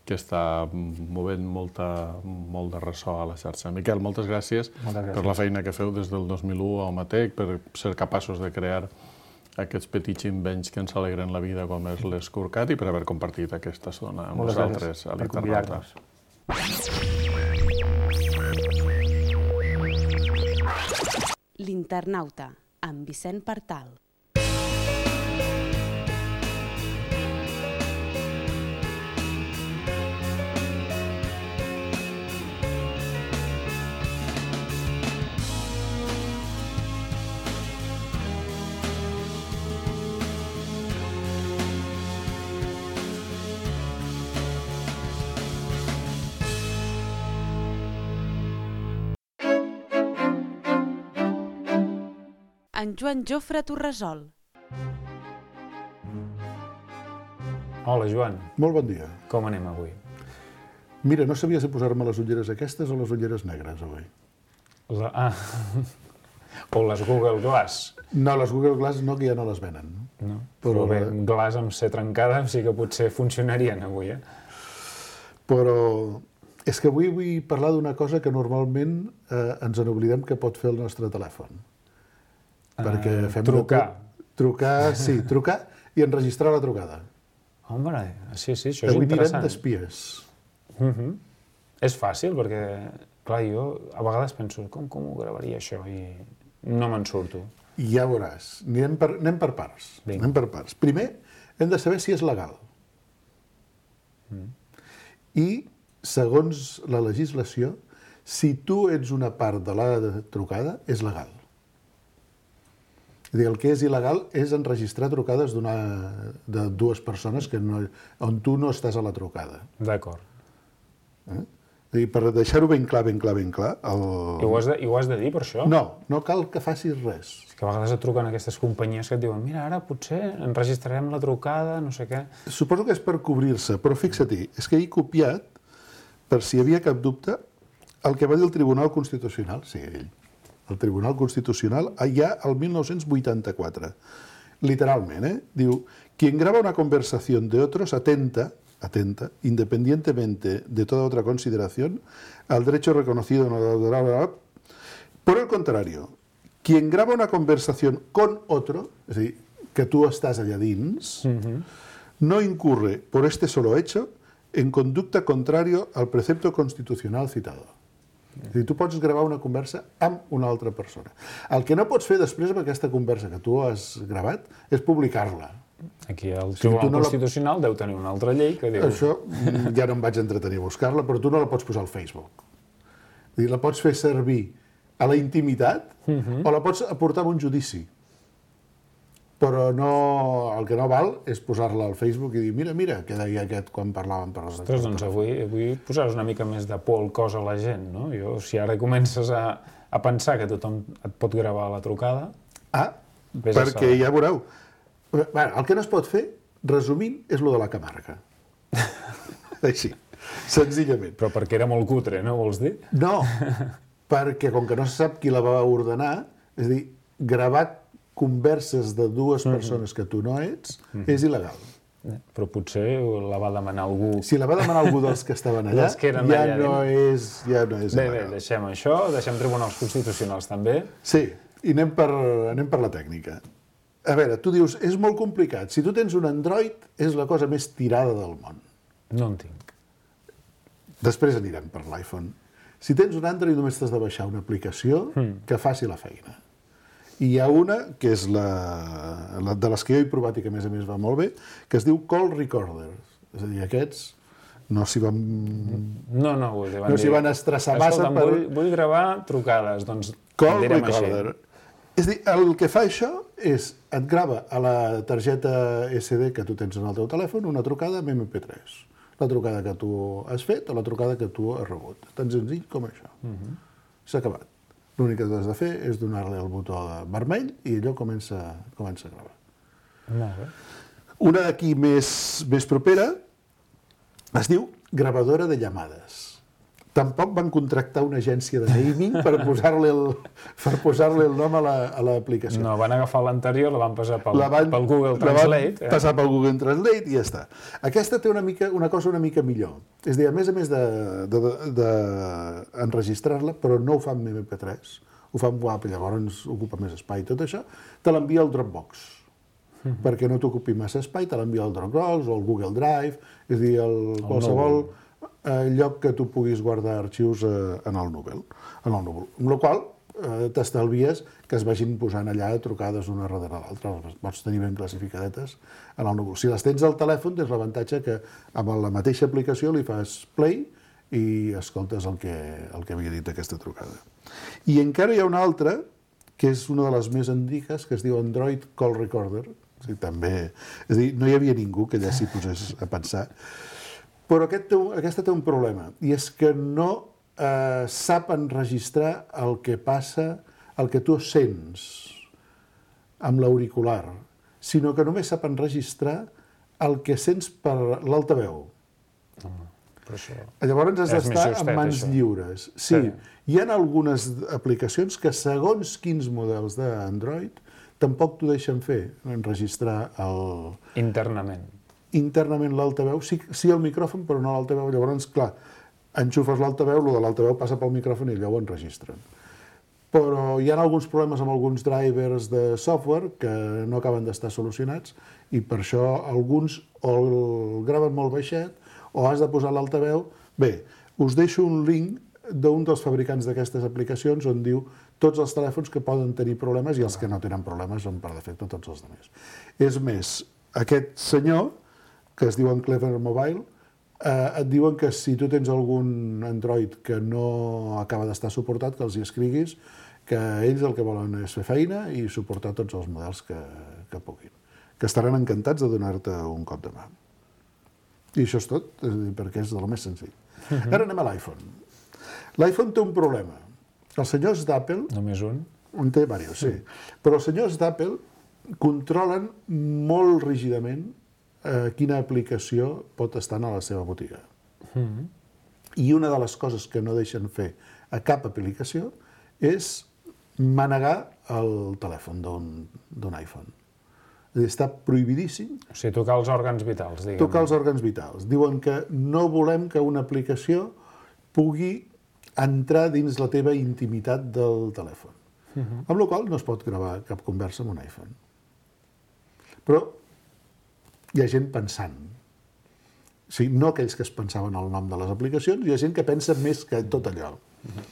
que està movent molta, molt de ressò a la xarxa. Miquel, moltes gràcies, moltes gràcies per la feina que feu des del dos mil u a Omatec, per ser capaços de crear aquests petits invents que ens alegren la vida com és l'Skirkat i per haver compartit aquesta estona amb nosaltres a l'Internauta. L'Internauta, amb Vicent Partal. En Joan Jofre Torresol. Hola, Joan. Molt bon dia. Com anem avui? Mira, no sabia si posar-me les ulleres aquestes o les ulleres negres, avui. La... Ah, o les Google Glass. No, les Google Glass no, que ja no les venen. No, però, però bé, Glass amb C trencada sí que potser funcionarien avui, eh? Però és que avui vull parlar d'una cosa que normalment eh, ens n'oblidem que pot fer el nostre telèfon. Perquè fem trucar. Trucar, sí, trucar i enregistrar la trucada. Home, sí, sí, això és avui interessant. Avui mirem d'espies. Uh -huh. És fàcil, perquè, clar, jo a vegades penso, com, com ho gravaria això? I no me'n surto. I ja veuràs. Anem per, anem per parts. Vinga. Anem per parts. Primer, hem de saber si és legal. Mm. I, segons la legislació, si tu ets una part de la trucada, és legal. El que és il·legal és enregistrar trucades de dues persones que no, on tu no estàs a la trucada. D'acord. Eh? Per deixar-ho ben clar, ben clar, ben clar... El... I, ho has de, I ho has de dir, per això? No, no cal que facis res. És que a vegades et truquen aquestes companyies que et diuen mira, ara potser enregistrarem la trucada, no sé què... Suposo que és per cobrir-se, però fixa-t'hi, és que he copiat, per si hi havia cap dubte, el que va dir el Tribunal Constitucional, sí, ell, el Tribunal Constitucional, ja el mil nou-cents vuitanta-quatre. literalment, ¿eh? Diu, quien graba una conversación de otros atenta, atenta, independientemente de toda otra consideración, al derecho reconocido en la... Por el contrario, quien graba una conversación con otro, és a dir, que tu estàs allà dins, uh-huh. no incurre por este solo hecho en conducta contrario al precepto constitucional citado. És a dir, tu pots gravar una conversa amb una altra persona. El que no pots fer després amb aquesta conversa que tu has gravat és publicar-la. Aquí el Tribunal no Constitucional la... deu tenir una altra llei que diu... Això ja no em vaig entretenir a buscar-la, però tu no la pots posar al Facebook. És dir, la pots fer servir a la intimitat uh-huh. o la pots aportar a un judici. Però no, el que no val és posar-la al Facebook i dir mira, mira, què deia aquest quan parlàvem per les... Ostres, doncs avui, avui posaràs una mica més de por al cos a la gent, no? Jo, si ara comences a, a pensar que tothom et pot gravar la trucada... Ah, perquè ja veureu. Bueno, el que no es pot fer, resumint, és lo de la Camarga. Així, senzillament. Però perquè era molt cutre, no vols dir? No, perquè com que no se sap qui la va ordenar, és a dir, gravat converses de dues persones que tu no ets, és il·legal. Però potser la va demanar algú... Si la va demanar algú dels que estaven allà, que ja, allà no és, ja no és bé, il·legal. Bé, deixem això, deixem tribunals constitucionals també. Sí, i anem per, anem per la tècnica. A veure, tu dius, és molt complicat. Si tu tens un Android, és la cosa més tirada del món. No en tinc. Després anirem per l'iPhone. Si tens un Android, només t'has de baixar una aplicació mm. que faci la feina. I hi ha una, que és la, la de les que jo he provat i que a més a més va molt bé, que es diu Call Recorder. És a dir, aquests no s'hi van... No, no, vull dir, van no s'hi van estressar massa per... Vull, vull gravar trucades, doncs Call Recorder. Així. És a dir, el que fa això és, et grava a la targeta esse de que tu tens en el teu telèfon una trucada amb eme pe tres. La trucada que tu has fet o la trucada que tu has rebut. Tan senzill com això. Uh-huh. S'ha acabat. L'únic que tu has de fer és donar-li el botó vermell i allò comença, comença a gravar. Molt bé. Una d'aquí més, més propera es diu gravadora de llamades. Tampoc van contractar una agència de naming per posar-li el, per posar-li el nom a l'aplicació. No, van agafar l'anterior, la van passar pel, la van, pel Google Translate. La van passar pel Google Translate i ja està. Aquesta té una, mica, una cosa una mica millor. És a dir, a més a més d'enregistrar-la, de, de, de però no ho fa amb eme pe tres, ho fa amb W A P, llavors ocupa més espai. Tot això te l'envia al Dropbox, mm-hmm. perquè no t'ocupi massa espai, te l'envia al Dropbox o al Google Drive, és a dir, el, el qualsevol... No. lloc que tu puguis guardar arxius eh, en el núvol. En el núvol. Amb la qual eh, t'estalvies que es vagin posant allà trucades una darrere l'altra. Les pots tenir ben classificadetes en el núvol. Si les tens al telèfon, tens l'avantatge que amb la mateixa aplicació li fas play i escoltes el que, el que havia dit aquesta trucada. I encara hi ha una altra, que és una de les més antigues, que es diu Android Call Recorder. O sigui, també, és a dir, no hi havia ningú que allà s'hi posés a pensar. Però aquest té, aquesta té un problema, i és que no eh, sap enregistrar el que passa, el que tu sents amb l'auricular, sinó que només sap enregistrar el que sents per l'altaveu. Però això Llavors has d'estar en mans això. lliures. Sí, sí, hi ha algunes aplicacions que segons quins models d'Android tampoc t'ho deixen fer, enregistrar el... Internament. internament l'altaveu, sí, sí el micròfon, però no l'altaveu. Llavors, clar, enxufes l'altaveu, el de l'altaveu passa pel micròfon i allò ho enregistren. Però hi ha alguns problemes amb alguns drivers de software que no acaben d'estar solucionats i per això alguns o el graven molt baixet o has de posar l'altaveu. Bé, us deixo un link d'un dels fabricants d'aquestes aplicacions on diu tots els telèfons que poden tenir problemes i els que no tenen problemes són per defecte tots els altres. És més, aquest senyor que es diuen Clever Mobile, eh, et diuen que si tu tens algun Android que no acaba d'estar suportat, que els hi escriguis, que ells el que volen és fer feina i suportar tots els models que, que puguin. Que estaran encantats de donar-te un cop de mà. I això és tot, és a dir, perquè és del més senzill. Uh-huh. Ara anem a l'iPhone. L'iPhone té un problema. Els senyors d'Apple... Només un? En té diversos, sí. Però els senyors d'Apple controlen molt rígidament eh, quina aplicació pot estar a la seva botiga. Mm-hmm. I una de les coses que no deixen fer a cap aplicació és manegar el telèfon d'un iPhone. És a dir, està prohibidíssim O sigui, tocar els òrgans vitals, diguem. tocar els òrgans vitals. Diuen que no volem que una aplicació pugui entrar dins la teva intimitat del telèfon. Uh-huh. Amb la qual cosa no es pot gravar cap conversa amb un iPhone. Però hi ha gent pensant. O sigui, no aquells que es pensaven el nom de les aplicacions, hi ha gent que pensa més que tot allò. Uh-huh.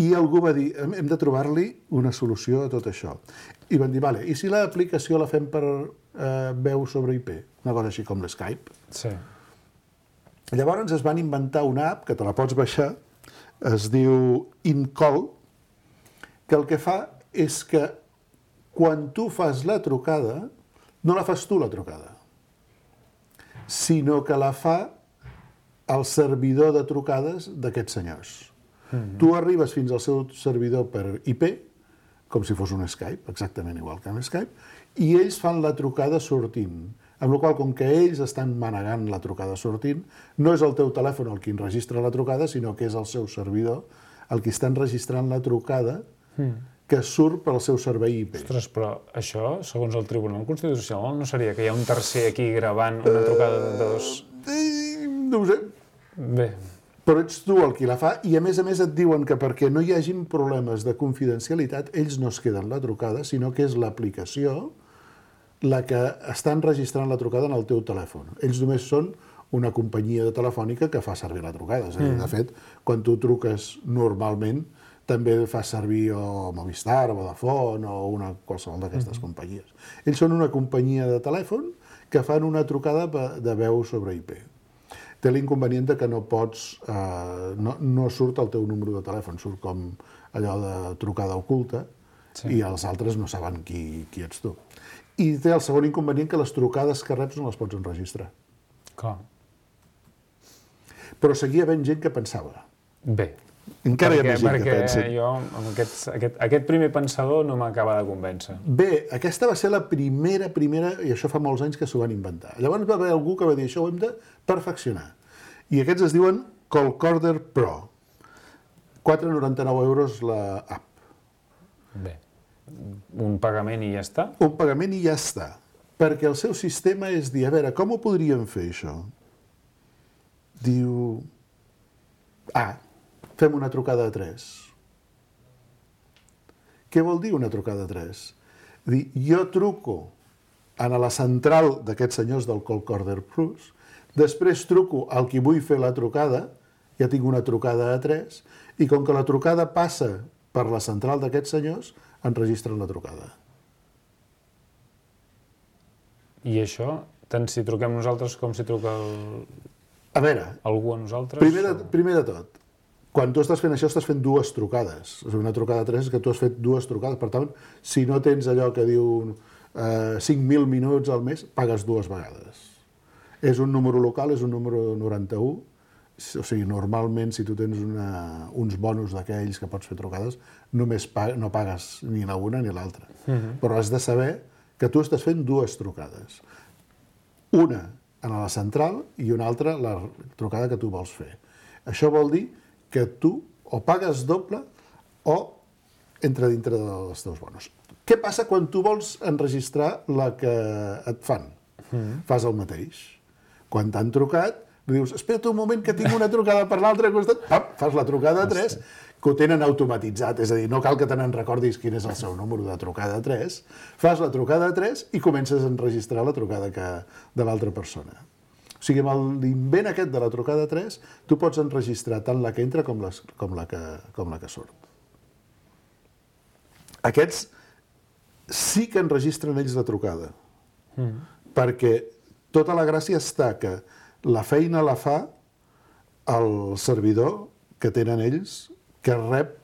I algú va dir, hem de trobar-li una solució a tot això. I van dir, vale, i si l'aplicació la fem per eh, veu sobre I P? Una cosa així com l'Skype. Sí. Llavors es van inventar una app que te la pots baixar, es diu InCall, que el que fa és que quan tu fas la trucada, no la fas tu la trucada, sinó que la fa el servidor de trucades d'aquests senyors. Mm-hmm. Tu arribes fins al seu servidor per I P, com si fos un Skype, exactament igual que un Skype, i ells fan la trucada sortint. Amb la qual cosa, com que ells estan manegant la trucada sortint, no és el teu telèfon el qui enregistra la trucada, sinó que és el seu servidor el qui està enregistrant la trucada mm. que surt pel seu servei I P. Ostres, però això, segons el Tribunal Constitucional, no seria que hi ha un tercer aquí gravant una trucada de dos... Uh, no ho sé. Bé. Però ets tu el qui la fa, i a més a més et diuen que perquè no hi hagin problemes de confidencialitat, ells no es queden la trucada, sinó que és l'aplicació la que està enregistrant la trucada en el teu telèfon. Ells només són una companyia de telefònica que fa servir la trucada. És a dir, de fet, quan tu truques normalment, també fa servir o Movistar, o Vodafone, o una qualsevol d'aquestes mm. companyies. Ells són una companyia de telèfon que fan una trucada de veu sobre I P. Té l'inconvenient que no pots... Eh, no, no surt el teu número de telèfon, surt com allò de trucada oculta, sí. I els altres no saben qui, qui ets tu. I té el segon inconvenient que les trucades que reps no les pots enregistrar. Clar. Però seguia havent gent que pensava. Bé. Encara perquè, hi ha més gent que pensa. Perquè jo, amb aquest, aquest, aquest primer pensador no m'acaba de convèncer. Bé, aquesta va ser la primera, primera, i això fa molts anys que s'ho van inventar. Llavors va haver algú que va dir, això ho hem de perfeccionar. I aquests es diuen Callcorder Pro. quatre coma noranta-nou euros la app. Bé. Un pagament i ja està? Un pagament i ja està. Perquè el seu sistema és dir, a veure, com ho podríem fer, això? Diu... Ah, fem una trucada a tres. Què vol dir una trucada a tres? Dir, jo truco a la central d'aquests senyors del Callcorder Plus, després truco al qui vull fer la trucada, ja tinc una trucada a tres, i com que la trucada passa per la central d'aquests senyors, enregistren la trucada. I això, tant si truquem nosaltres com si truca el... A veure, algú a nosaltres? Primer de, primer de tot, quan tu estàs fent això, estàs fent dues trucades. Una trucada a tres és que tu has fet dues trucades. Per tant, si no tens allò que diu eh, cinc mil minuts al mes, pagues dues vegades. És un número local, és un número noranta-u. O sigui, normalment, si tu tens una, uns bonus d'aquells que pots fer trucades, només pag no pagues ni la una ni l'altra. Uh-huh. Però has de saber que tu estàs fent dues trucades. Una a la central i una altra la trucada que tu vols fer. Això vol dir que tu o pagues doble o entra dintre dels teus bonus. Què passa quan tu vols enregistrar la que et fan? Uh-huh. Fas el mateix. Quan t'han trucat, dius, espera't un moment que tinc una trucada per l'altre costat, pam, fas la trucada a tres, que ho tenen automatitzat, és a dir, no cal que te n'en recordis quin és el seu número de trucada a tres, fas la trucada a tres i comences a enregistrar la trucada que, de l'altra persona. O sigui, amb l'invent aquest de la trucada a tres, tu pots enregistrar tant la que entra com, les, com, la, que, com la que surt. Aquests sí que enregistren ells la trucada, mm. perquè tota la gràcia està que la feina la fa el servidor que tenen ells que rep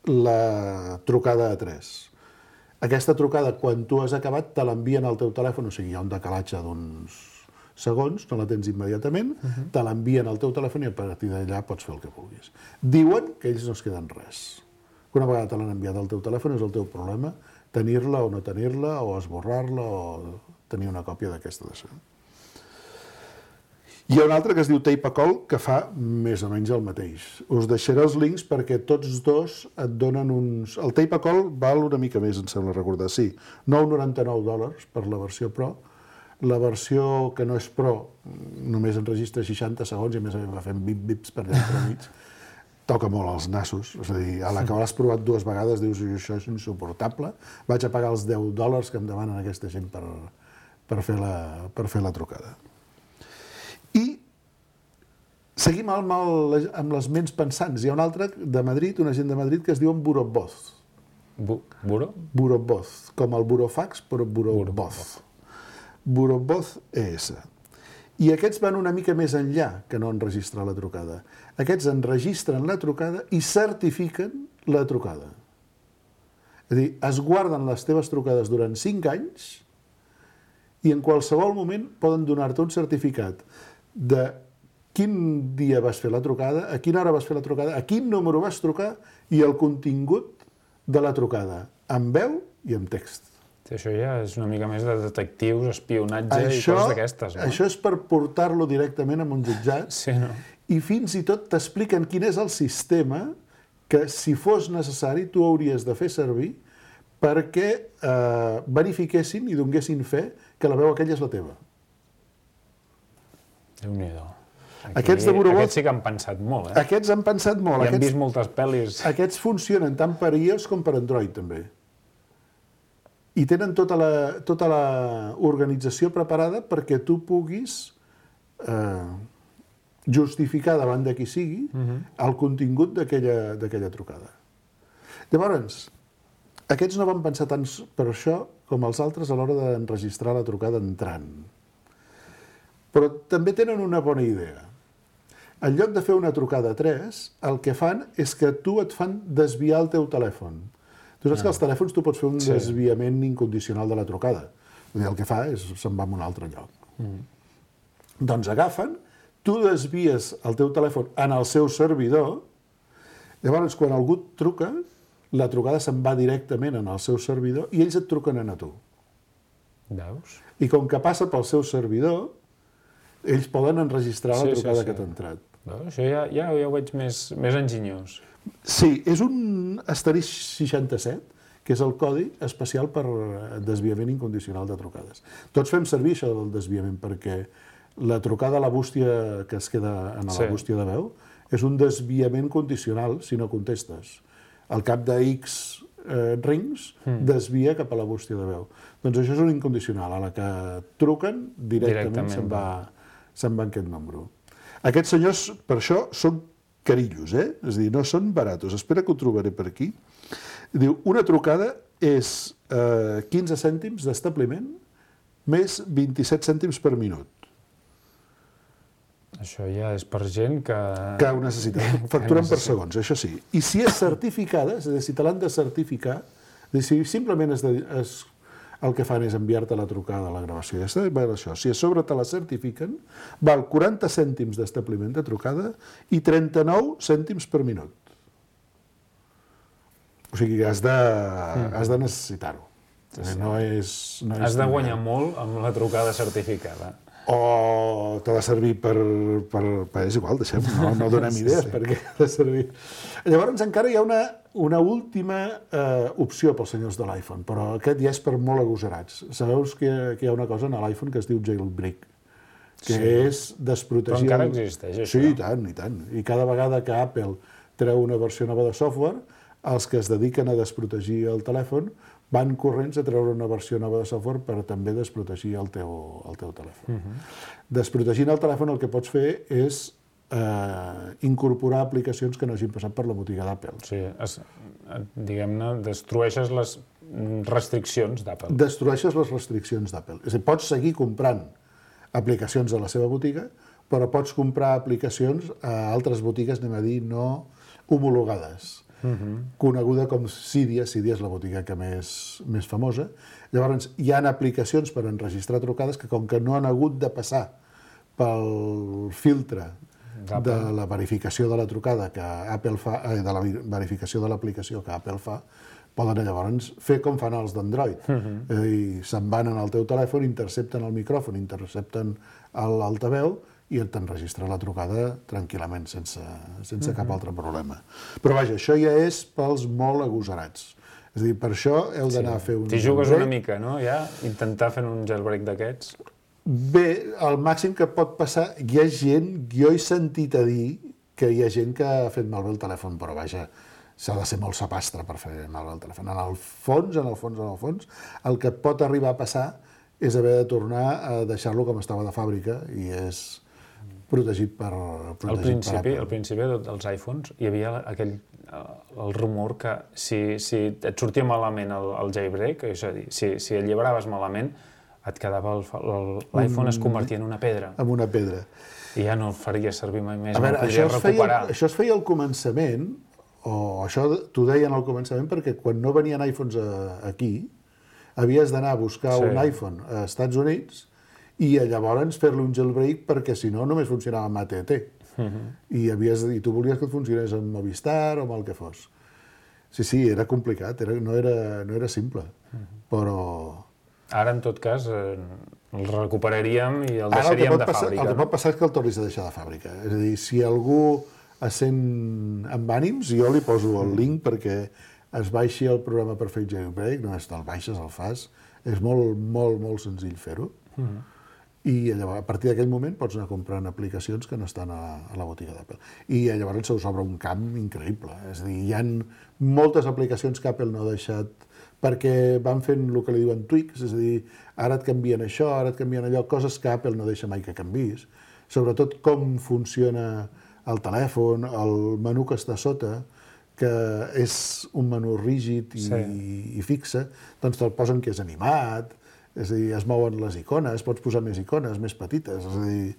la trucada a tres. Aquesta trucada, quan tu has acabat, te l'envien al teu telèfon, o sigui, hi ha un decalatge d'uns segons, no la tens immediatament, uh-huh. te l'envien al teu telèfon i a partir d'allà pots fer el que vulguis. Diuen que ells no es queden res. Una vegada te l'han enviat al teu telèfon és el teu problema, tenir-la o no tenir-la, o esborrar-la, o tenir una còpia d'aquesta d'això. Hi ha un altre que es diu Tape a Call, que fa més o menys el mateix. Us deixaré els links perquè tots dos et donen uns... El Tape a Call val una mica més, em sembla recordar. Sí, nou coma noranta-nou dòlars per la versió Pro. La versió que no és Pro només enregistra seixanta segons i a més a més va fent bip-bips per allà per mig. Toca molt els nassos. És a dir, a la que l'has provat dues vegades dius això és insuportable. Vaig a pagar els deu dòlars que em demanen aquesta gent per, per, fer, la, per fer la trucada. I seguim amb, el, amb les ments pensants. Hi ha un altre de Madrid, una gent de Madrid, que es diu Burovoz. Bu Buro? Burovoz, com el burofax, però Burovoz. Burovoz E S. I aquests van una mica més enllà que no enregistrar la trucada. Aquests enregistren la trucada i certifiquen la trucada. És a dir, es guarden les teves trucades durant cinc anys i en qualsevol moment poden donar-te un certificat de quin dia vas fer la trucada, a quina hora vas fer la trucada, a quin número vas trucar i el contingut de la trucada, amb veu i amb text. Sí, això ja és una mica més de detectius, espionatge això, i coses d'aquestes, no? Això és per portar-lo directament a un jutjat sí, no? I fins i tot t'expliquen quin és el sistema que, si fos necessari, tu hauries de fer servir perquè eh, verifiquessin i donguessin fe que la veu aquella és la teva. Déu-n'hi-do. Aquests de Burovoz... Aquests sí que han pensat molt, eh? Aquests han pensat molt. I han aquests, vist moltes pel·lis. Aquests funcionen tant per iOS com per Android, també. I tenen tota la, tota la organització preparada perquè tu puguis eh, justificar davant de qui sigui uh-huh. el contingut d'aquella trucada. Llavors, aquests no van pensar tant per això com els altres a l'hora d'enregistrar la trucada entrant. Però també tenen una bona idea. En lloc de fer una trucada a tres, el que fan és que tu et fan desviar el teu telèfon. Tu saps ah. que als telèfons tu pots fer un sí. desviament incondicional de la trucada. El que fa és se'n va a un altre lloc. Mm. Doncs agafen, tu desvies el teu telèfon en el seu servidor, llavors quan algú et truca, la trucada se'n va directament en el seu servidor i ells et truquen a tu. Veus? I com que passa pel seu servidor, ells poden enregistrar la sí, trucada sí, sí. que t'ha entrat. No, això ja, ja, ja ho veig més, més enginyós. Sí, és un asterisc seixanta-set, que és el codi especial per desviament incondicional de trucades. Tots fem servir això del desviament perquè la trucada a la bústia que es queda en la sí. bústia de veu és un desviament condicional si no contestes. Al cap de X eh, rings mm. desvia cap a la bústia de veu. Doncs això és un incondicional. A la que truquen, directament, directament. se'n va... se'n va aquest número. Aquests senyors, per això, són carillos, eh? És a dir, no són baratos. Espera que ho trobaré per aquí. Diu, una trucada és eh, quinze cèntims d'establiment més vint-i-set cèntims per minut. Això ja és per gent que... Que ho necessita. Facturen per segons, això sí. I si és certificada, és a dir, si te l'han de certificar, és a dir, si simplement es, de, es el que fan és enviar-te la trucada a la gravació. Ja està, això. Si a sobre te la certifiquen, val quaranta cèntims d'establiment de trucada i trenta-nou cèntims per minut. O sigui, has de, mm. has de necessitar-ho. Sí. No és, no és has de guanyar molt amb la trucada certificada. O t'ha de servir per, per, per... És igual, deixem, no, no donem idees sí. perquè ha de servir. Llavors encara hi ha una, una última eh, opció pels senyors de l'iPhone, però aquest ja és per molt agosarats. Sabeu que, que hi ha una cosa a l'iPhone que es diu jailbreak, que sí. és desprotegir... Però encara existeix, això? Sí, i tant, i tant. I cada vegada que Apple treu una versió nova de software, els que es dediquen a desprotegir el telèfon van corrents a treure una versió nova de software per també desprotegir el teu, el teu telèfon. Uh-huh. Desprotegint el telèfon el que pots fer és eh, incorporar aplicacions que no hagin passat per la botiga d'Apple. Sí, es, diguem-ne, destrueixes les restriccions d'Apple. Destrueixes les restriccions d'Apple. És a dir, pots seguir comprant aplicacions a la seva botiga, però pots comprar aplicacions a altres botigues, anem a dir, no homologades. Uh-huh. Coneguda com Cydia. Cydia és la botiga que més, més famosa. Llavors, hi ha aplicacions per enregistrar trucades que, com que no han hagut de passar pel filtre de la verificació de la trucada que Apple fa, eh, de la verificació de l'aplicació que Apple fa, poden llavors fer com fan els d'Android. Uh-huh. eh, I se'n van en el teu telèfon, intercepten el micròfon, intercepten l'altaveu i t'enregistra la trucada tranquil·lament, sense, sense cap altre problema. Però vaja, això ja és pels molt agosarats. És a dir, per això heu d'anar sí. a fer un... T'hi jugues una mica, no? Ja, intentar fer un jailbreak d'aquests. Bé, el màxim que pot passar... Hi ha gent, jo he sentit a dir que hi ha gent que ha fet malbé el telèfon, però vaja, s'ha de ser molt sapastre per fer malbé el telèfon. En el fons, en el fons, en el fons, el que et pot arribar a passar és haver de tornar a deixar-lo com estava de fàbrica i és protegit per, protegit al principi, per Apple. Al principi dels iPhones hi havia aquell, el rumor que si, si et sortia malament el, el jailbreak, és a dir, si, si el llibraves malament, et quedava l'iPhone es convertia en una pedra. En una pedra. I ja no el faria servir mai més, a no veure, el podria recuperar. Feia, això es feia al començament, o això t'ho deien al començament, perquè quan no venien iPhones a, aquí, havies d'anar a buscar sí. un iPhone a Estats Units i llavors fer-li un jailbreak perquè si no només funcionava amb A T T. Uh-huh. I, havies, I tu volies que et funcionés amb Movistar o amb el que fos. Sí, sí, era complicat, era, no, era, no era simple, uh-huh. però... Ara, en tot cas, eh, el recuperaríem i el deixaríem el de passar, fàbrica. El que pot passar és que el tornis a deixar de fàbrica. És a dir, si algú es sent amb ànims, jo li poso el link perquè es baixi el programa per fer jailbreak, només te'l baixes, el fas, és molt, molt, molt senzill fer-ho. Uh-huh. I llavors, a partir d'aquell moment pots anar comprant aplicacions que no estan a, a la botiga d'Apple. I llavors se us obre un camp increïble. És a dir, hi ha moltes aplicacions que Apple no ha deixat perquè van fent el que li diuen tweaks, és a dir, ara et canvien això, ara et canvien allò, coses que Apple no deixa mai que canvis. Sobretot com funciona el telèfon, el menú que està sota, que és un menú rígid i, sí. i fixe, doncs te'l posen que és animat, és a dir, es mouen les icones, pots posar més icones, més petites, és a dir,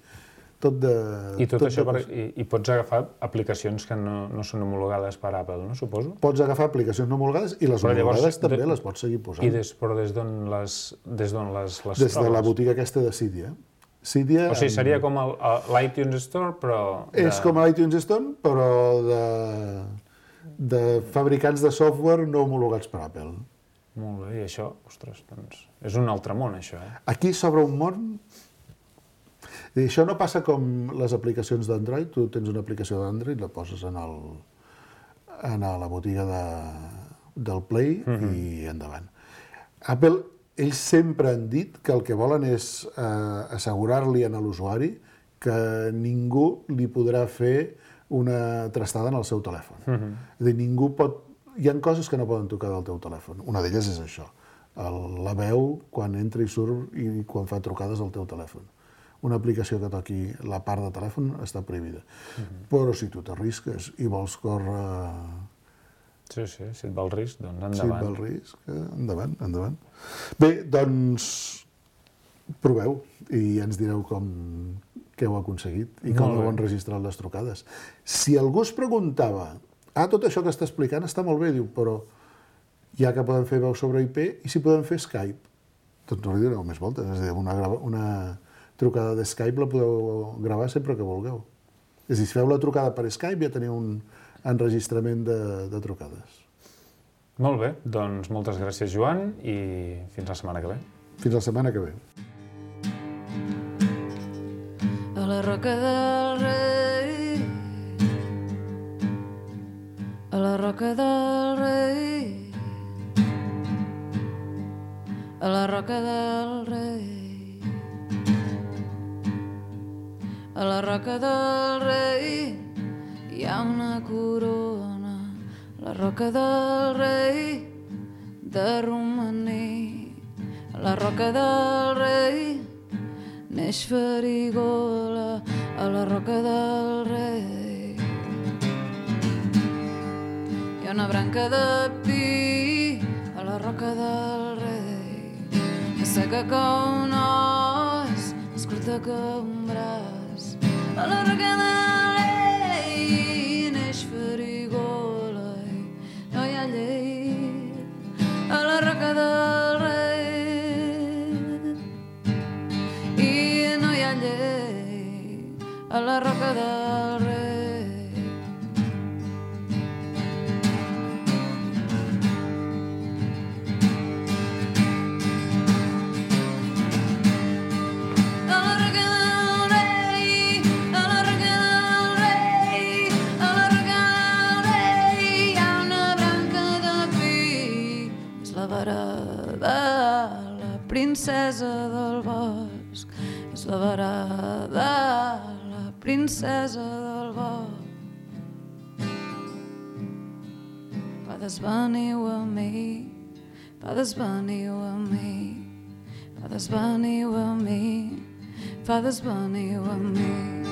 tot de... I tot, tot això, de... per, i, i pots agafar aplicacions que no, no són homologades per Apple, no, suposo? Pots agafar aplicacions no homologades i les però homologades llavors, també de... les pots seguir posant. I des, però des d'on les, des d'on les, les des trobes? De la botiga aquesta de Cydia. Cydia o sigui, seria com l'iTunes Store, però... De... És com l'iTunes Store, però de, de fabricants de software no homologats per Apple. Molt bé, i això, ostres, doncs, és un altre món, això, eh? Aquí s'obre un món... I això no passa com les aplicacions d'Android, tu tens una aplicació d'Android, la poses en, el, en la botiga de, del Play uh-huh. i endavant. Apple, ells sempre han dit que el que volen és eh, assegurar-li a l'usuari que ningú li podrà fer una trastada en el seu telèfon. Uh-huh. És a dir, ningú pot... Hi ha coses que no poden tocar del teu telèfon. Una d'elles és això, el, la veu quan entra i surt i quan fa trucades al teu telèfon. Una aplicació que toqui la part de telèfon està prohibida. Uh-huh. Però si tu t'arrisques i vols córrer... Sí, sí, si et va el risc, doncs endavant. Si et va el risc, endavant, endavant. Bé, doncs proveu i ens direu com què heu aconseguit i com heu enregistrat les trucades. Si algú es preguntava ah, tot això que està explicant està molt bé, diu, però ja que poden fer veu sobre I P, i si poden fer Skype? Doncs no li doneu més voltes, és a dir, una, una trucada de Skype la podeu gravar sempre que vulgueu. És a dir, si feu la trucada per Skype ja teniu un enregistrament de, de trucades. Molt bé, doncs moltes gràcies, Joan, i fins la setmana que ve. Fins la setmana que ve. A la Roca del Rei, a la Roca del Rei, a la Roca del Rei, a la Roca del Rei hi ha una corona, la Roca del Rei de romaní, a la Roca del Rei neix Farigola, a la Roca del Rei hi ha una branca de pi a la Roca del Rei, és seca com un os, més curta que un braç. A la Roca del Rei neix Farigola i no hi ha llei. A la Roca del Rei i no hi ha llei. A la Roca del Rei. A la Roca del Rei princesa del bosc, és la varada, la princesa del bosc. Fathers, veniu a mi, fathers, veniu a mi, fathers, veniu a mi, fathers, veniu a mi.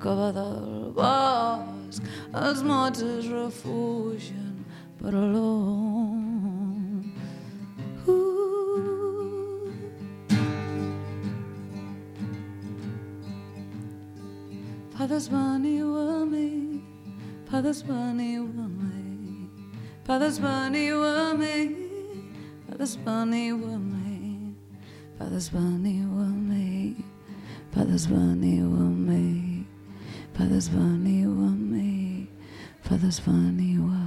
Cova del bosc, els mots es refugien per a l'om. Uh. Fathers, veniu a mi, fathers, veniu a mi, fathers, veniu a mi, fathers, veniu a mi, fathers, veniu a mi, fathers, veniu a mi. Fathers, veniu a mi, fathers, veniu a